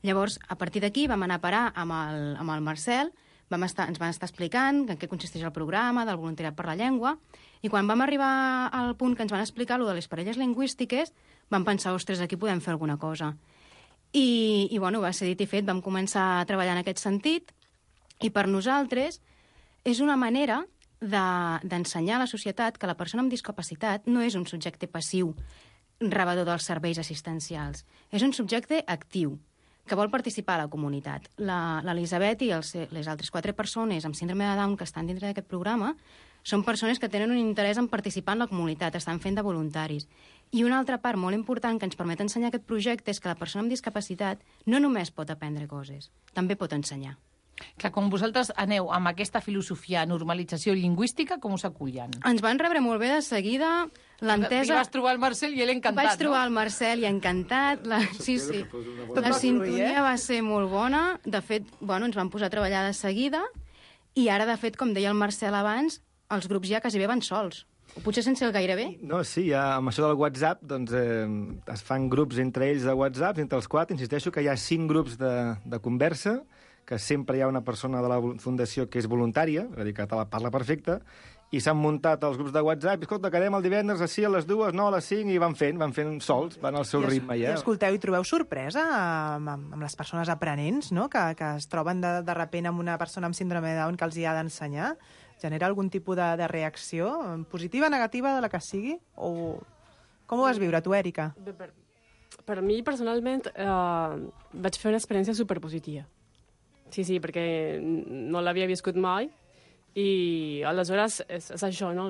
Llavors, a partir d'aquí vam anar a parar amb el, amb el Marcel, vam estar, ens van estar explicant en què consisteix el programa del voluntariat per la llengua, i quan vam arribar al punt que ens van explicar lo de les parelles lingüístiques, vam pensar, ostres, aquí podem fer alguna cosa. I, i bueno, va ser dit i fet, vam començar a treballar en aquest sentit, i per nosaltres és una manera d'ensenyar a la societat que la persona amb discapacitat no és un subjecte passiu, rebedor dels serveis assistencials. És un subjecte actiu, que vol participar a la comunitat. L'Elisabet i els, les altres quatre persones amb síndrome de Down que estan dintre d'aquest programa són persones que tenen un interès en participar en la comunitat, estan fent de voluntaris. I una altra part molt important que ens permet ensenyar aquest projecte és que la persona amb discapacitat no només pot aprendre coses, també pot ensenyar. Clar, com vosaltres aneu amb aquesta filosofia normalització lingüística, com us acullen? Ens van rebre molt bé de seguida l'entesa... I vas trobar el Marcel i ell encantat, Vaig trobar no? el Marcel i encantat. La... Sí, sí. La sintonia va ser molt bona. De fet, bueno, ens van posar a treballar de seguida i ara, de fet, com deia el Marcel abans, els grups ja quasi bé van sols. O potser sense el gairebé. No, sí, ja, amb això del WhatsApp doncs, eh, es fan grups entre ells de WhatsApp, entre els quatre. Insisteixo que hi ha cinc grups de, de conversa, que sempre hi ha una persona de la Fundació que és voluntària, és a dir, que te la parla perfecta, i s'han muntat els grups de WhatsApp, i escolta, quedem el divendres a a les dues, no a les cinc, i van fent, van fent sols, van al seu I ritme ja. I escolteu, i trobeu sorpresa amb, amb, amb les persones aprenents, no?, que, que es troben de, de repent amb una persona amb síndrome de Down que els hi ha d'ensenyar? Genera algun tipus de, de reacció, positiva, negativa, de la que sigui? O com ho vas viure, tu, Èrica? Per, per mi, personalment, eh, vaig fer una experiència superpositiva. Sí, sí, perquè no l'havia viscut mai i aleshores és, és això, no?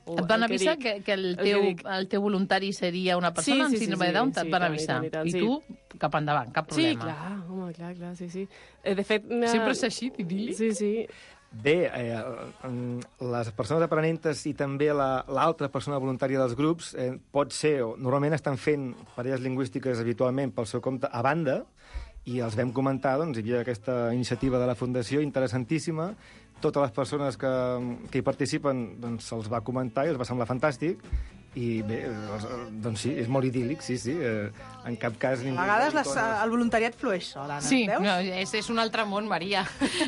O, et van avisar que, que el, teu, el, el teu voluntari seria una persona sí, sí, amb síndrome sí, de Down? sí, et van sí, avisar. I, tant, I sí. tu, cap endavant, cap problema. Sí, clar, home, clar, clar, sí, sí. De fet... Sempre és així, idíl·lic? Sí, sí. Bé, eh, les persones aprenentes i també l'altra la, persona voluntària dels grups eh, pot ser, o normalment estan fent parelles lingüístiques habitualment pel seu compte a banda, i els vam comentar, doncs, hi havia aquesta iniciativa de la Fundació interessantíssima, totes les persones que, que hi participen doncs, se'ls va comentar i els va semblar fantàstic, i bé, doncs sí, és molt idíl·lic, sí, sí, eh, en cap cas... A vegades les, el voluntariat flueix sol, Anna, sí, veus? No, és, és un altre món, Maria.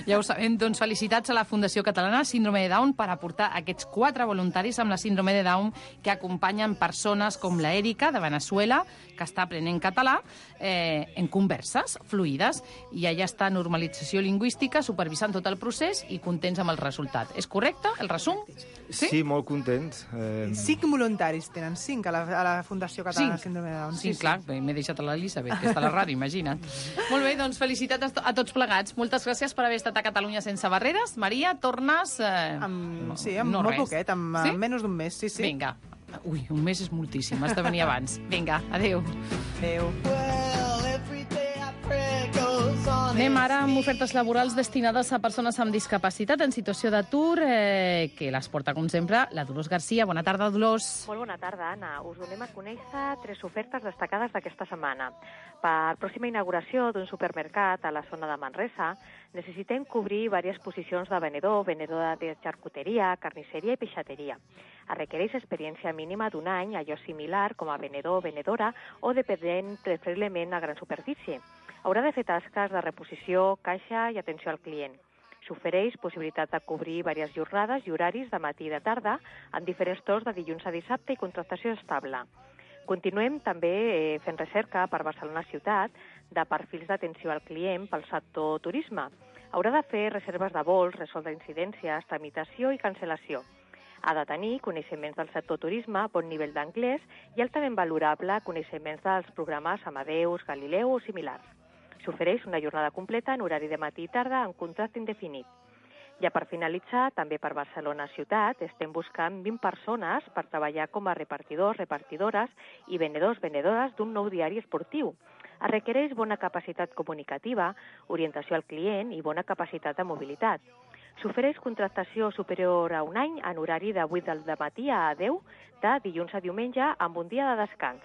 Ja ho sabem. Doncs felicitats a la Fundació Catalana Síndrome de Down per aportar aquests quatre voluntaris amb la síndrome de Down que acompanyen persones com la Èrica, de Venezuela, que està aprenent català, eh, en converses fluides, i allà està Normalització Lingüística supervisant tot el procés i contents amb el resultat. És correcte, el resum? Sí, sí molt contents. Eh... Cinc voluntaris tenen, cinc a la, a la Fundació Catalana cinc. Síndrome de Down. Sí, sí, clar, m'he deixat a l'Elisabet, que està a la ràdio, imagina't. Molt bé, doncs felicitats a tots plegats. Moltes gràcies per haver estat a Catalunya sense barreres. Maria, tornes... Eh... Amb, sí, amb no molt res. poquet, amb sí? menys d'un mes, sí, sí. Vinga. Ui, un mes és moltíssim, has de venir abans. Vinga, adéu. Adéu. Anem ara amb ofertes laborals destinades a persones amb discapacitat en situació d'atur, eh, que les porta, com sempre, la Dolors Garcia. Bona tarda, Dolors. Molt bona tarda, Anna. Us donem a conèixer tres ofertes destacades d'aquesta setmana. Per pròxima inauguració d'un supermercat a la zona de Manresa, necessitem cobrir diverses posicions de venedor, venedor de xarcuteria, carnisseria i peixateria. Es requereix experiència mínima d'un any, allò similar com a venedor o venedora, o dependent preferiblement a gran superfície. Haurà de fer tasques de reposició, caixa i atenció al client. S'ofereix possibilitat de cobrir diverses jornades i horaris de matí i de tarda en diferents torns de dilluns a dissabte i contractació estable. Continuem també eh, fent recerca per Barcelona ciutat de perfils d'atenció al client pel sector turisme. Haurà de fer reserves de vols, resoldre incidències, tramitació i cancel·lació. Ha de tenir coneixements del sector turisme, bon nivell d'anglès i altament valorable coneixements dels programes Amadeus, Galileu o similars. S'ofereix una jornada completa en horari de matí i tarda en contracte indefinit. Ja per finalitzar, també per Barcelona ciutat, estem buscant vint persones per treballar com a repartidors, repartidores i venedors, venedores d'un nou diari esportiu. Es requereix bona capacitat comunicativa, orientació al client i bona capacitat de mobilitat. S'ofereix contractació superior a un any en horari de vuit del matí a deu, de dilluns a diumenge, amb un dia de descans.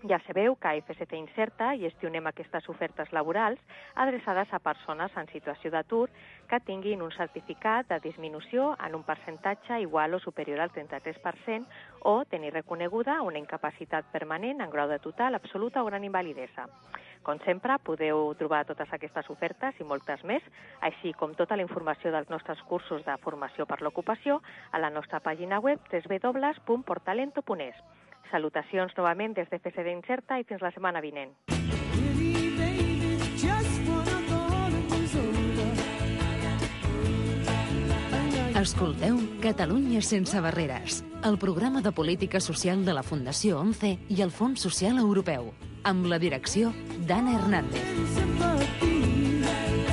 Ja sabeu que a F C C Incerta gestionem aquestes ofertes laborals adreçades a persones en situació d'atur que tinguin un certificat de disminució en un percentatge igual o superior al trenta-tres per cent o tenir reconeguda una incapacitat permanent en grau de total, absoluta o gran invalidesa. Com sempre, podeu trobar totes aquestes ofertes i moltes més, així com tota la informació dels nostres cursos de formació per l'ocupació a la nostra pàgina web w w w punt portalento punt es. Salutacions novament des de F C C Incerta i fins la setmana vinent. Escolteu Catalunya sense barreres, el programa de política social de la Fundació ONCE i el Fons Social Europeu, amb la direcció d'Anna Hernández.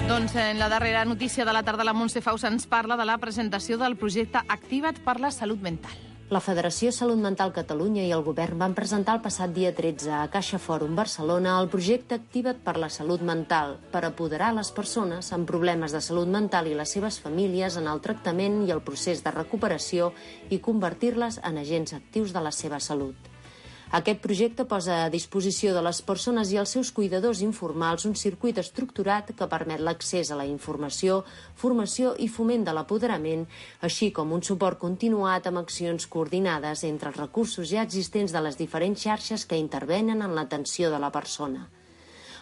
Doncs en la darrera notícia de la tarda la Montse Faus ens parla de la presentació del projecte Activa't per la Salut Mental. La Federació Salut Mental Catalunya i el Govern van presentar el passat dia tretze a Caixa Fòrum Barcelona el projecte Activa't per la Salut Mental per apoderar les persones amb problemes de salut mental i les seves famílies en el tractament i el procés de recuperació i convertir-les en agents actius de la seva salut. Aquest projecte posa a disposició de les persones i els seus cuidadors informals un circuit estructurat que permet l'accés a la informació, formació i foment de l'apoderament, així com un suport continuat amb accions coordinades entre els recursos ja existents de les diferents xarxes que intervenen en l'atenció de la persona.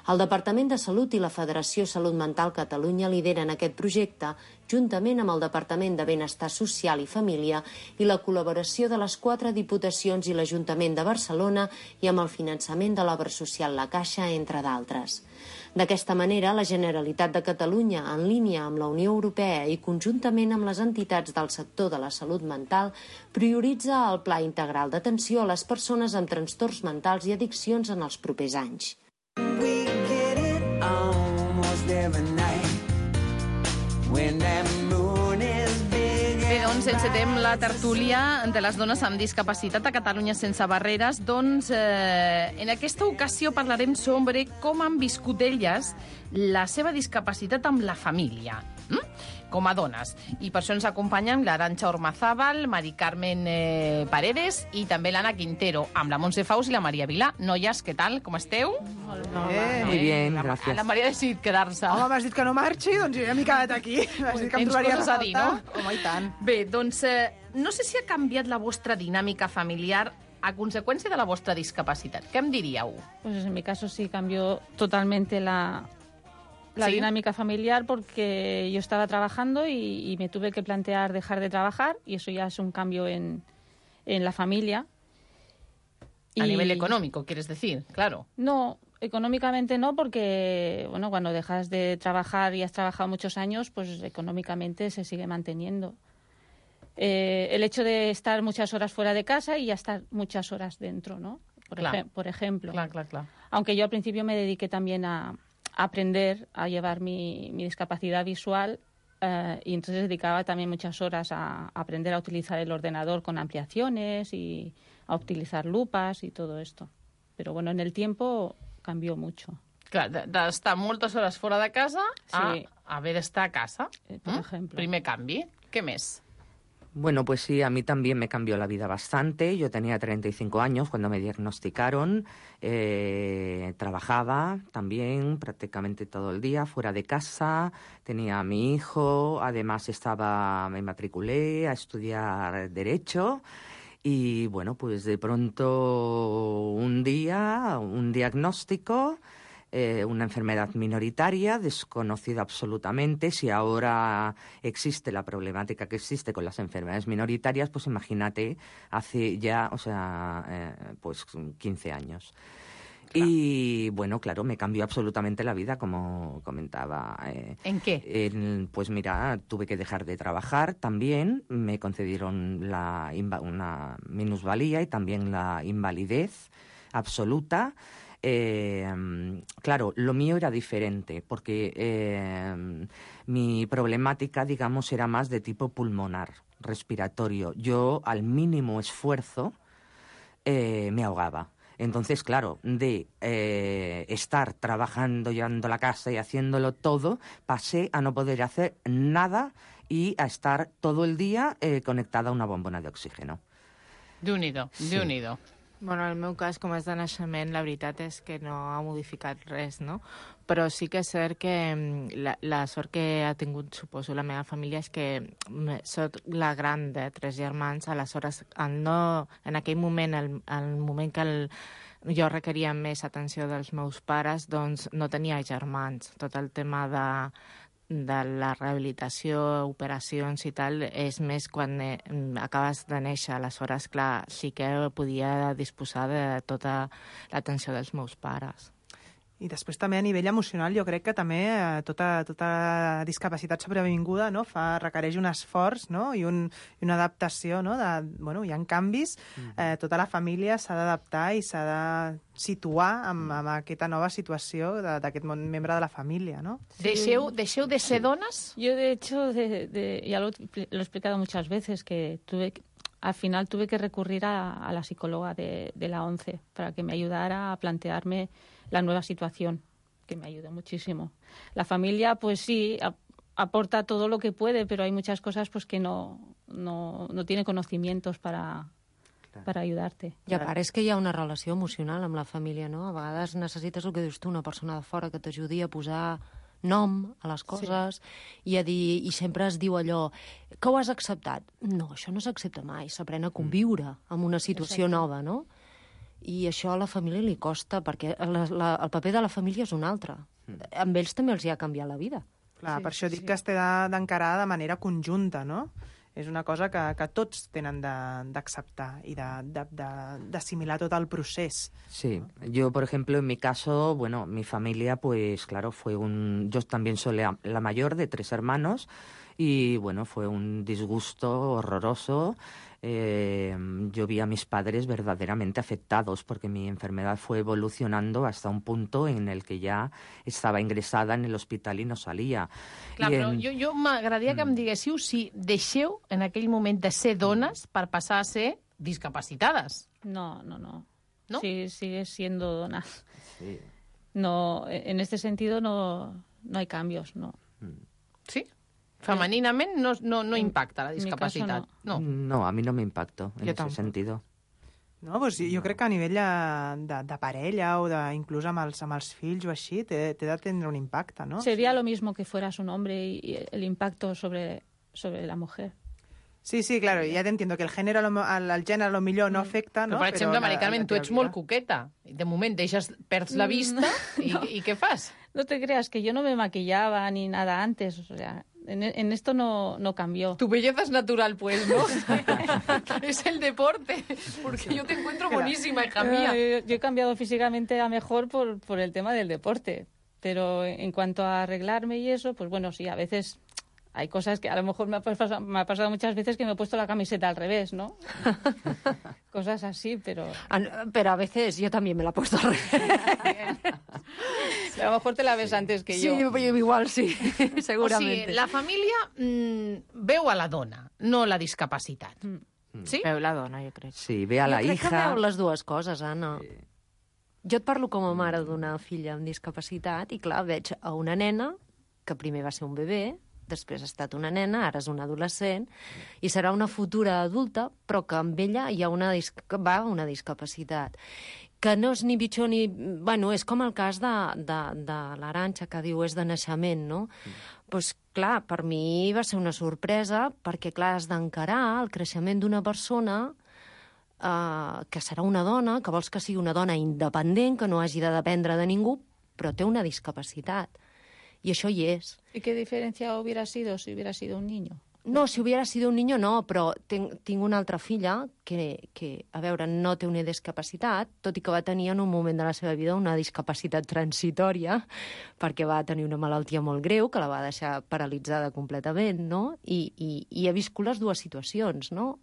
El Departament de Salut i la Federació Salut Mental Catalunya lideren aquest projecte juntament amb el Departament de Benestar Social i Família i la col·laboració de les quatre diputacions i l'Ajuntament de Barcelona i amb el finançament de l'Obra Social La Caixa, entre d'altres. D'aquesta manera, la Generalitat de Catalunya, en línia amb la Unió Europea i conjuntament amb les entitats del sector de la salut mental, prioritza el Pla Integral d'atenció a les persones amb trastorns mentals i addiccions en els propers anys. Bé, doncs encetem la tertúlia de les dones amb discapacitat a Catalunya sense barreres. Doncs eh, en aquesta ocasió parlarem sobre com han viscut elles la seva discapacitat amb la família, hm? com a dones. I per això ens acompanyen l'Arantxa Ormazábal, Mari Carmen eh, Paredes i també l'Anna Quintero, amb la Montse Faus i la Maria Vilà. Noies, què tal? Com esteu? Molt bé. Muy bien, la, gracias. La Maria ha decidit quedar-se. Home, m'has dit que no marxi, doncs jo ja m'he quedat aquí. M'has dit que em Tens trobaria coses a dir, no? Home, i tant. Bé, doncs eh, no sé si ha canviat la vostra dinàmica familiar a consecuencia de la vostra discapacitat. ¿Qué em diríeu? Pues en mi caso sí cambió totalmente la, la ¿Sí? dinámica familiar porque yo estaba trabajando y, y me tuve que plantear dejar de trabajar y eso ya es un cambio en, en la familia. A Y- nivel económico, quieres decir, claro. No, económicamente no, porque bueno, cuando dejas de trabajar y has trabajado muchos años, pues económicamente se sigue manteniendo. Eh, el hecho de estar muchas horas fuera de casa y ya estar muchas horas dentro, ¿no? Por, Clar. ejem- por ejemplo. Clar, clar, clar. Aunque yo al principio me dediqué también a, a aprender a llevar mi, mi discapacidad visual eh, y entonces dedicaba también muchas horas a, a aprender a utilizar el ordenador con ampliaciones y a utilizar lupas y todo esto. Pero bueno, en el tiempo cambió mucho. Clar, de- d'estar moltes hores fora de casa a Sí. haver d'estar a casa. por Mm? ejemplo. Primer canvi. Què més? Bueno, pues sí, a mí también me cambió la vida bastante. Yo tenía treinta y cinco años cuando me diagnosticaron. Eh, trabajaba también prácticamente todo el día fuera de casa. Tenía a mi hijo. Además estaba, me matriculé a estudiar Derecho. Y bueno, pues de pronto un día, un diagnóstico, eh, una enfermedad minoritaria, desconocida absolutamente. Si ahora existe la problemática que existe con las enfermedades minoritarias, pues imagínate, hace ya, o sea, eh, pues quince años. Y bueno, claro, me cambió absolutamente la vida, como comentaba. Eh, ¿En qué? en- pues mira, tuve que dejar de trabajar también, me concedieron la inva- una minusvalía y también la invalidez absoluta. Eh, claro, lo mío era diferente porque eh, mi problemática, digamos, era más de tipo pulmonar, respiratorio. Yo, al mínimo esfuerzo, eh, me ahogaba. Entonces, claro, de eh, estar trabajando, llevando la casa y haciéndolo todo, pasé a no poder hacer nada y a estar todo el día eh, conectada a una bombona de oxígeno. Déu-n'hi-do, Sí. Déu-n'hi-do. Bueno, en el meu cas, com és de naixement, la veritat és que no ha modificat res, no? Però sí que és cert que la, la sort que ha tingut, suposo, la meva família és que soc la gran de tres germans, aleshores, el no, en aquell moment, el, el moment que el, jo requeria més atenció dels meus pares, doncs no tenia germans. Tot el tema de, de la rehabilitació, operacions i tal, és més quan eh, acabes de néixer. Aleshores, clar, sí que podia disposar de tota l'atenció dels meus pares. I després també a nivell emocional jo crec que també eh, tota, tota discapacitat sobrevinguda, no, fa, requereix un esforç, no, i, un, i una adaptació, no, de, bueno, hi ha canvis, eh, tota la família s'ha d'adaptar i s'ha de situar amb, amb aquesta nova situació d'aquest membre de la família, ¿no? Deixeu, deixeu de ser dones? Yo, de hecho, de, de, ya lo, lo he explicado muchas veces, que tuve que, al final tuve que recurrir a, a la psicóloga de, de la ONCE para que me ayudara a plantearme la nueva situación, que me ayudó muchísimo. La familia, pues sí, a, aporta todo lo que puede, pero hay muchas cosas pues que no, no, no tiene conocimientos para, per ajudar-te. I a part és que hi ha una relació emocional amb la família, no? A vegades necessites el que dius tu, una persona de fora que t'ajudi a posar nom a les coses, sí. i a dir, i sempre es diu allò, que ho has acceptat? No, això no s'accepta mai, s'aprèn a conviure amb una situació Exacte. nova, no? I això a la família li costa, perquè la, la, el paper de la família és un altre. Mm. Amb ells també els hi ha canviat la vida. Clar, sí, per això dic sí. que es té d'encarar de manera conjunta, no? És una cosa que, que tots tenen d'acceptar i d'assimilar tot el procés. Sí, yo, por ejemplo, en mi caso, bueno, mi familia, pues claro, fue un... Yo también soy la, la mayor de tres hermanos y, bueno, fue un disgusto horroroso. Eh, yo vi a mis padres verdaderamente afectados porque mi enfermedad fue evolucionando hasta un punto en el que ya estaba ingresada en el hospital y no salía. Clar, I però en... jo, jo m'agradaria que em diguéssiu si deixeu en aquell moment de ser dones per passar a ser discapacitades. No, no, no. ¿No? Sí, sigues siendo dona. Sí. No, en este sentido no, no hay cambios, no. Sí? Femeninament no, no, no impacta la discapacitat. No. no, a mí no me impactó en Yo ese tampoco. sentido. No, pues jo crec que a nivell de, de, de parella o de, inclús amb els, amb els fills o així, té, té de tindre un impacte, no? Sería lo mismo que fueras un hombre y, y el impacto sobre, sobre la mujer. Sí, sí, claro, ja t'entiendo que el gènere, el, el gènere a lo millor no afecta, no? Però, per exemple, Però Mari Carmen, tu ets molt coqueta. De moment deixes, perds la vista i, No. i què fas? No te creas que yo no me maquillaba ni nada antes, o sea, en, en esto no, no cambió. Tu belleza es natural, pues, ¿no? Es el deporte, porque yo te encuentro buenísima, hija mía. Eh, Yo he cambiado físicamente a mejor por, por el tema del deporte, pero en cuanto a arreglarme y eso, pues bueno, sí, a veces hay cosas que a lo mejor me ha pasado, me ha pasado muchas veces que me he puesto la camiseta al revés, ¿no? Cosas así, pero... Pero a veces yo también me la he puesto al revés. A lo mejor te la ves antes que Sí, yo. igual sí, O seguramente. sigui, la família mmm, veu a la dona, no la discapacitat. Sí? Veu la dona, jo crec. Sí, ve a la jo crec hija... que veu les dues coses, Anna. Sí. Jo et parlo com a mare d'una filla amb discapacitat i, clar, veig a una nena que primer va ser un bebè, després ha estat una nena, ara és una adolescent, i serà una futura adulta, però que amb ella hi ha una, dis que va una discapacitat. Que no és ni pitjor ni... Bueno, és com el cas de, de, de l'Arantxa, que diu és de naixement, no? Doncs, pues, clar, per mi va ser una sorpresa, perquè, clar, has d'encarar el creixement d'una persona eh, que serà una dona, que vols que sigui una dona independent, que no hagi de dependre de ningú, però té una discapacitat. I això hi és. ¿Y qué diferencia hubiera sido si hubiera sido un niño? No, si hubiera sido un niño no, però tinc, tinc una altra filla que, que, a veure, no té una discapacitat, tot i que va tenir en un moment de la seva vida una discapacitat transitòria, perquè va tenir una malaltia molt greu que la va deixar paralitzada completament, no? I, i, i he viscut les dues situacions, no?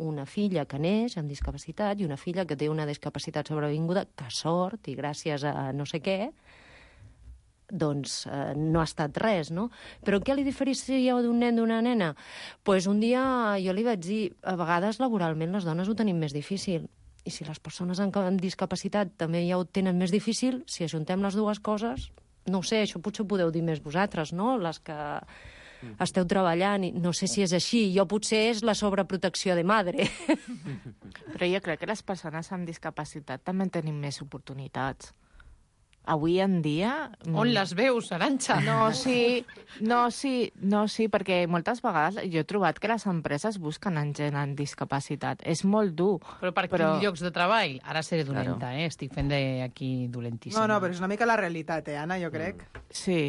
Una filla que neix amb discapacitat i una filla que té una discapacitat sobrevinguda, que sort, i gràcies a no sé què, doncs eh, no ha estat res, no? Però què li diferencia d'un nen d'una nena? Doncs pues un dia jo li vaig dir, a vegades laboralment les dones ho tenim més difícil, i si les persones amb discapacitat també ja ho tenen més difícil, si ajuntem les dues coses, no ho sé, això potser ho podeu dir més vosaltres, no? Les que esteu treballant, i no sé si és així. Jo potser és la sobreprotecció de madre. Però jo crec que les persones amb discapacitat també tenim més oportunitats. Avui en dia... On les veus, Arantxa? No, sí, no, sí, no, sí, perquè moltes vegades jo he trobat que les empreses busquen en gent amb discapacitat. És molt dur. Però per però... quins llocs de treball? Ara seré dolenta, claro. eh? Estic fent aquí dolentíssima. No, no, però és una mica la realitat, eh, Anna, jo crec. Mm. Sí.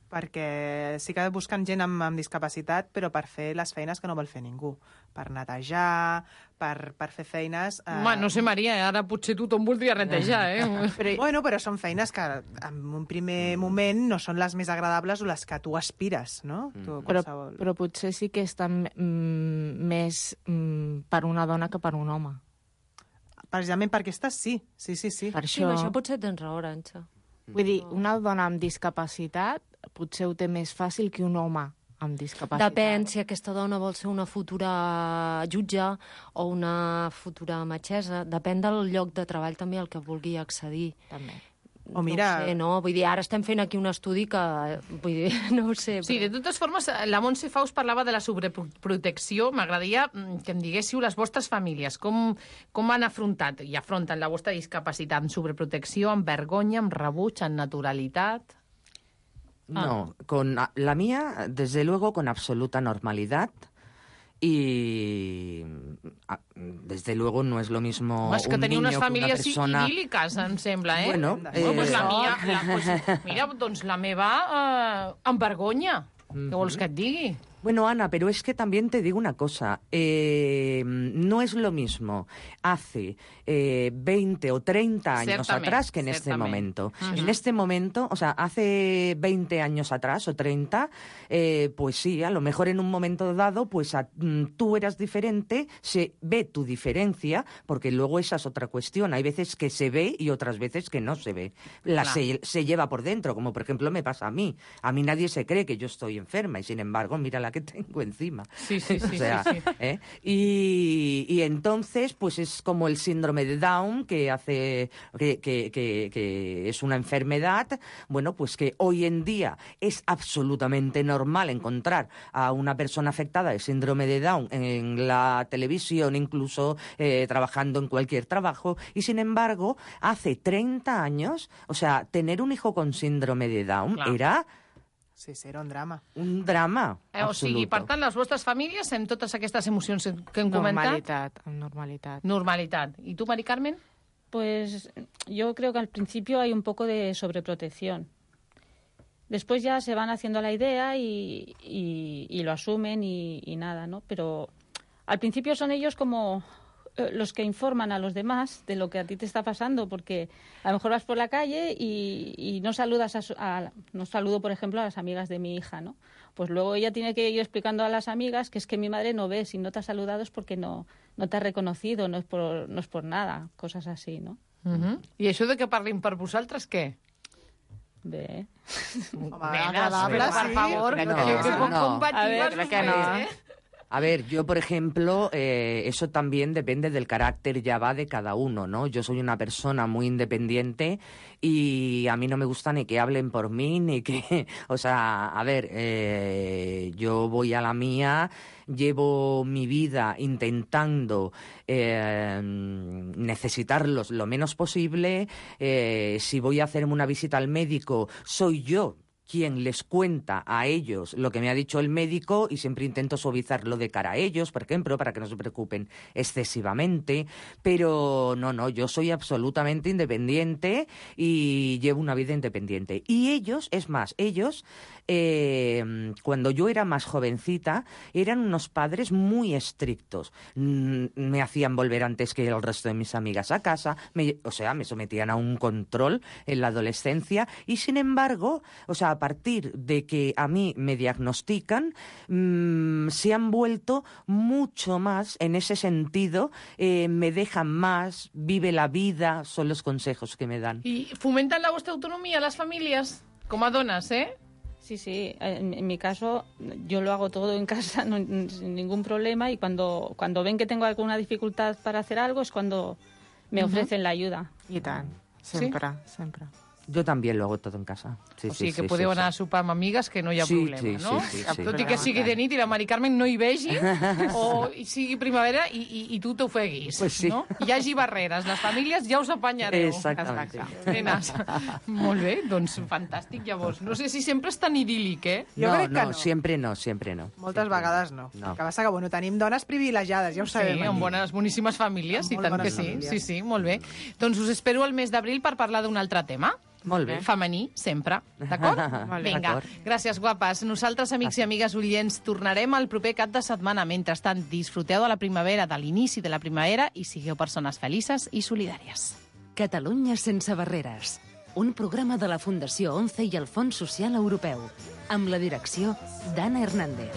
Perquè sí que busquen gent amb, amb discapacitat, però per fer les feines que no vol fer ningú. Per netejar, per, per fer feines... Eh... Home, no sé, Maria, ara potser tothom voldria netejar, eh? però, bueno, però són feines que en un primer moment no són les més agradables o les que tu aspires, no? Mm. Tu, però, però potser sí que estan mm, més mm, per una dona que per un home. Precisament per aquestes sí, sí, sí. sí. Per això... Sí, això potser tens raó, Arantxa. Vull dir, una dona amb discapacitat potser ho té més fàcil que un home amb discapacitat. Depèn si aquesta dona vol ser una futura jutge o una futura metgessa. Depèn del lloc de treball també al que vulgui accedir. També. O mira... No ho sé, no? Vull dir, ara estem fent aquí un estudi que... Vull dir, no ho sé. Però... Sí, de totes formes, la Montse Faus parlava de la sobreprotecció. M'agradaria que em diguéssiu les vostres famílies. Com, com han afrontat i afronten la vostra discapacitat? Amb sobreprotecció, amb vergonya, amb rebuig, amb naturalitat? No, ah. con la mía, desde luego, con absoluta normalidad. Y desde luego no es lo mismo es que un niño unes que una persona... idíl·liques, em sembla, eh? Bueno, eh... bueno pues la no. mia, la, pues, mira, doncs la meva eh, amb vergonya. Mm-hmm. Què vols que et digui? Bueno, Ana, pero es que también te digo una cosa. Eh, no es lo mismo hace eh, veinte o treinta años ciertamente, atrás que en ciertamente. este momento. Uh-huh. En este momento, o sea, hace veinte años atrás o treinta, eh, pues sí, a lo mejor en un momento dado, pues a, tú eras diferente, se ve tu diferencia, porque luego esa es otra cuestión. Hay veces que se ve y otras veces que no se ve. La claro. se, se lleva por dentro, como por ejemplo me pasa a mí. A mí nadie se cree que yo estoy enferma y sin embargo, mira la que tengo encima. Sí, sí, sí. O sea, sí, sí. ¿eh? y, y entonces, pues es como el síndrome de Down, que hace que, que, que, que es una enfermedad, bueno, pues que hoy en día es absolutamente normal encontrar a una persona afectada de síndrome de Down en la televisión, incluso eh, trabajando en cualquier trabajo, y sin embargo, hace treinta años, o sea, tener un hijo con síndrome de Down claro. era... Sí, sí, era un drama. Un drama, eh, o sigui, per tant, les vostres famílies, amb totes aquestes emocions que hem comentat... Normalitat, amb normalitat. Normalitat. ¿Y tú, Mari Carmen? Pues yo creo que al principio hay un poco de sobreprotección. Después ya se van haciendo la idea y, y, y lo asumen y, y nada, ¿no? Pero al principio son ellos como... los que informan a los demás de lo que a ti te está pasando, porque a lo mejor vas por la calle y, y no saludas a, a no saludo, por ejemplo, a las amigas de mi hija, ¿no? Pues luego ella tiene que ir explicando a las amigas que es que mi madre no ve, si no te ha saludado es porque no, no te ha reconocido, no es por, no es por nada, cosas así, ¿no? Uh-huh. I això de que parlin per vosaltres, què? Bé. Home, agradable, sí. Per favor, no, que, que poc no. compatibles no que no. Eh? A ver, yo, por ejemplo, eh, eso también depende del carácter ya va de cada uno, ¿no? Yo soy una persona muy independiente y a mí no me gusta ni que hablen por mí, ni que... O sea, a ver, eh, yo voy a la mía, llevo mi vida intentando eh, necesitarlos lo menos posible. Eh, si voy a hacerme una visita al médico, soy yo quien les cuenta a ellos lo que me ha dicho el médico y siempre intento suavizarlo de cara a ellos, por ejemplo, para que no se preocupen excesivamente, pero no, no, yo soy absolutamente independiente y llevo una vida independiente. Y ellos, es más, ellos, eh, cuando yo era más jovencita, eran unos padres muy estrictos. Me hacían volver antes que el resto de mis amigas a casa, me, o sea, me sometían a un control en la adolescencia y, sin embargo, o sea, a partir de que a mí me diagnostican, mmm, se han vuelto mucho más en ese sentido, eh, me dejan más, vive la vida, son los consejos que me dan. ¿Y fomentan la vuestra autonomía las familias? Como a donas, ¿eh? Sí, sí. En, en mi caso, yo lo hago todo en casa, no, sin ningún problema, y cuando, cuando ven que tengo alguna dificultad para hacer algo es cuando me uh-huh. ofrecen la ayuda. I tant, sempre, ¿Sí? sempre. Yo también lo hago todo en casa. Sí, O sigui sí, que sí, podeu sí, anar a sopar amb amigues que no hi ha Sí, problema, sí, no? sí, sí, sí. Tot i que sigui de nit i la Mari Carmen no hi vegi, o sigui primavera i, i, i tu t'ofeguis, Pues sí. no? Hi hagi barreres, les famílies ja us apanyareu. Exactamente. Nenes. Molt bé, doncs fantàstic, llavors. No sé si sempre és tan idíl·lic, eh? Jo no, crec que no, no. siempre no, siempre no. Moltes vegades no. No. El que passa que, bueno, tenim dones privilegiades, ja ho sabem. Sí, amb bones, boníssimes famílies, i Amb molt tant que bones sí. famílies. Sí, sí, molt bé. Doncs us espero el mes d'abril per parlar d'un altre tema. Molt bé. Femení, sempre. D'acord? Molt bé. Vinga, D'acord. gràcies, guapes. Nosaltres, amics i amigues oients, tornarem el proper cap de setmana. Mentrestant, disfruteu de la primavera, de l'inici de la primavera, i sigueu persones felices i solidàries. Catalunya sense barreres. Un programa de la Fundació ONCE i el Fons Social Europeu. Amb la direcció d'Anna Hernández.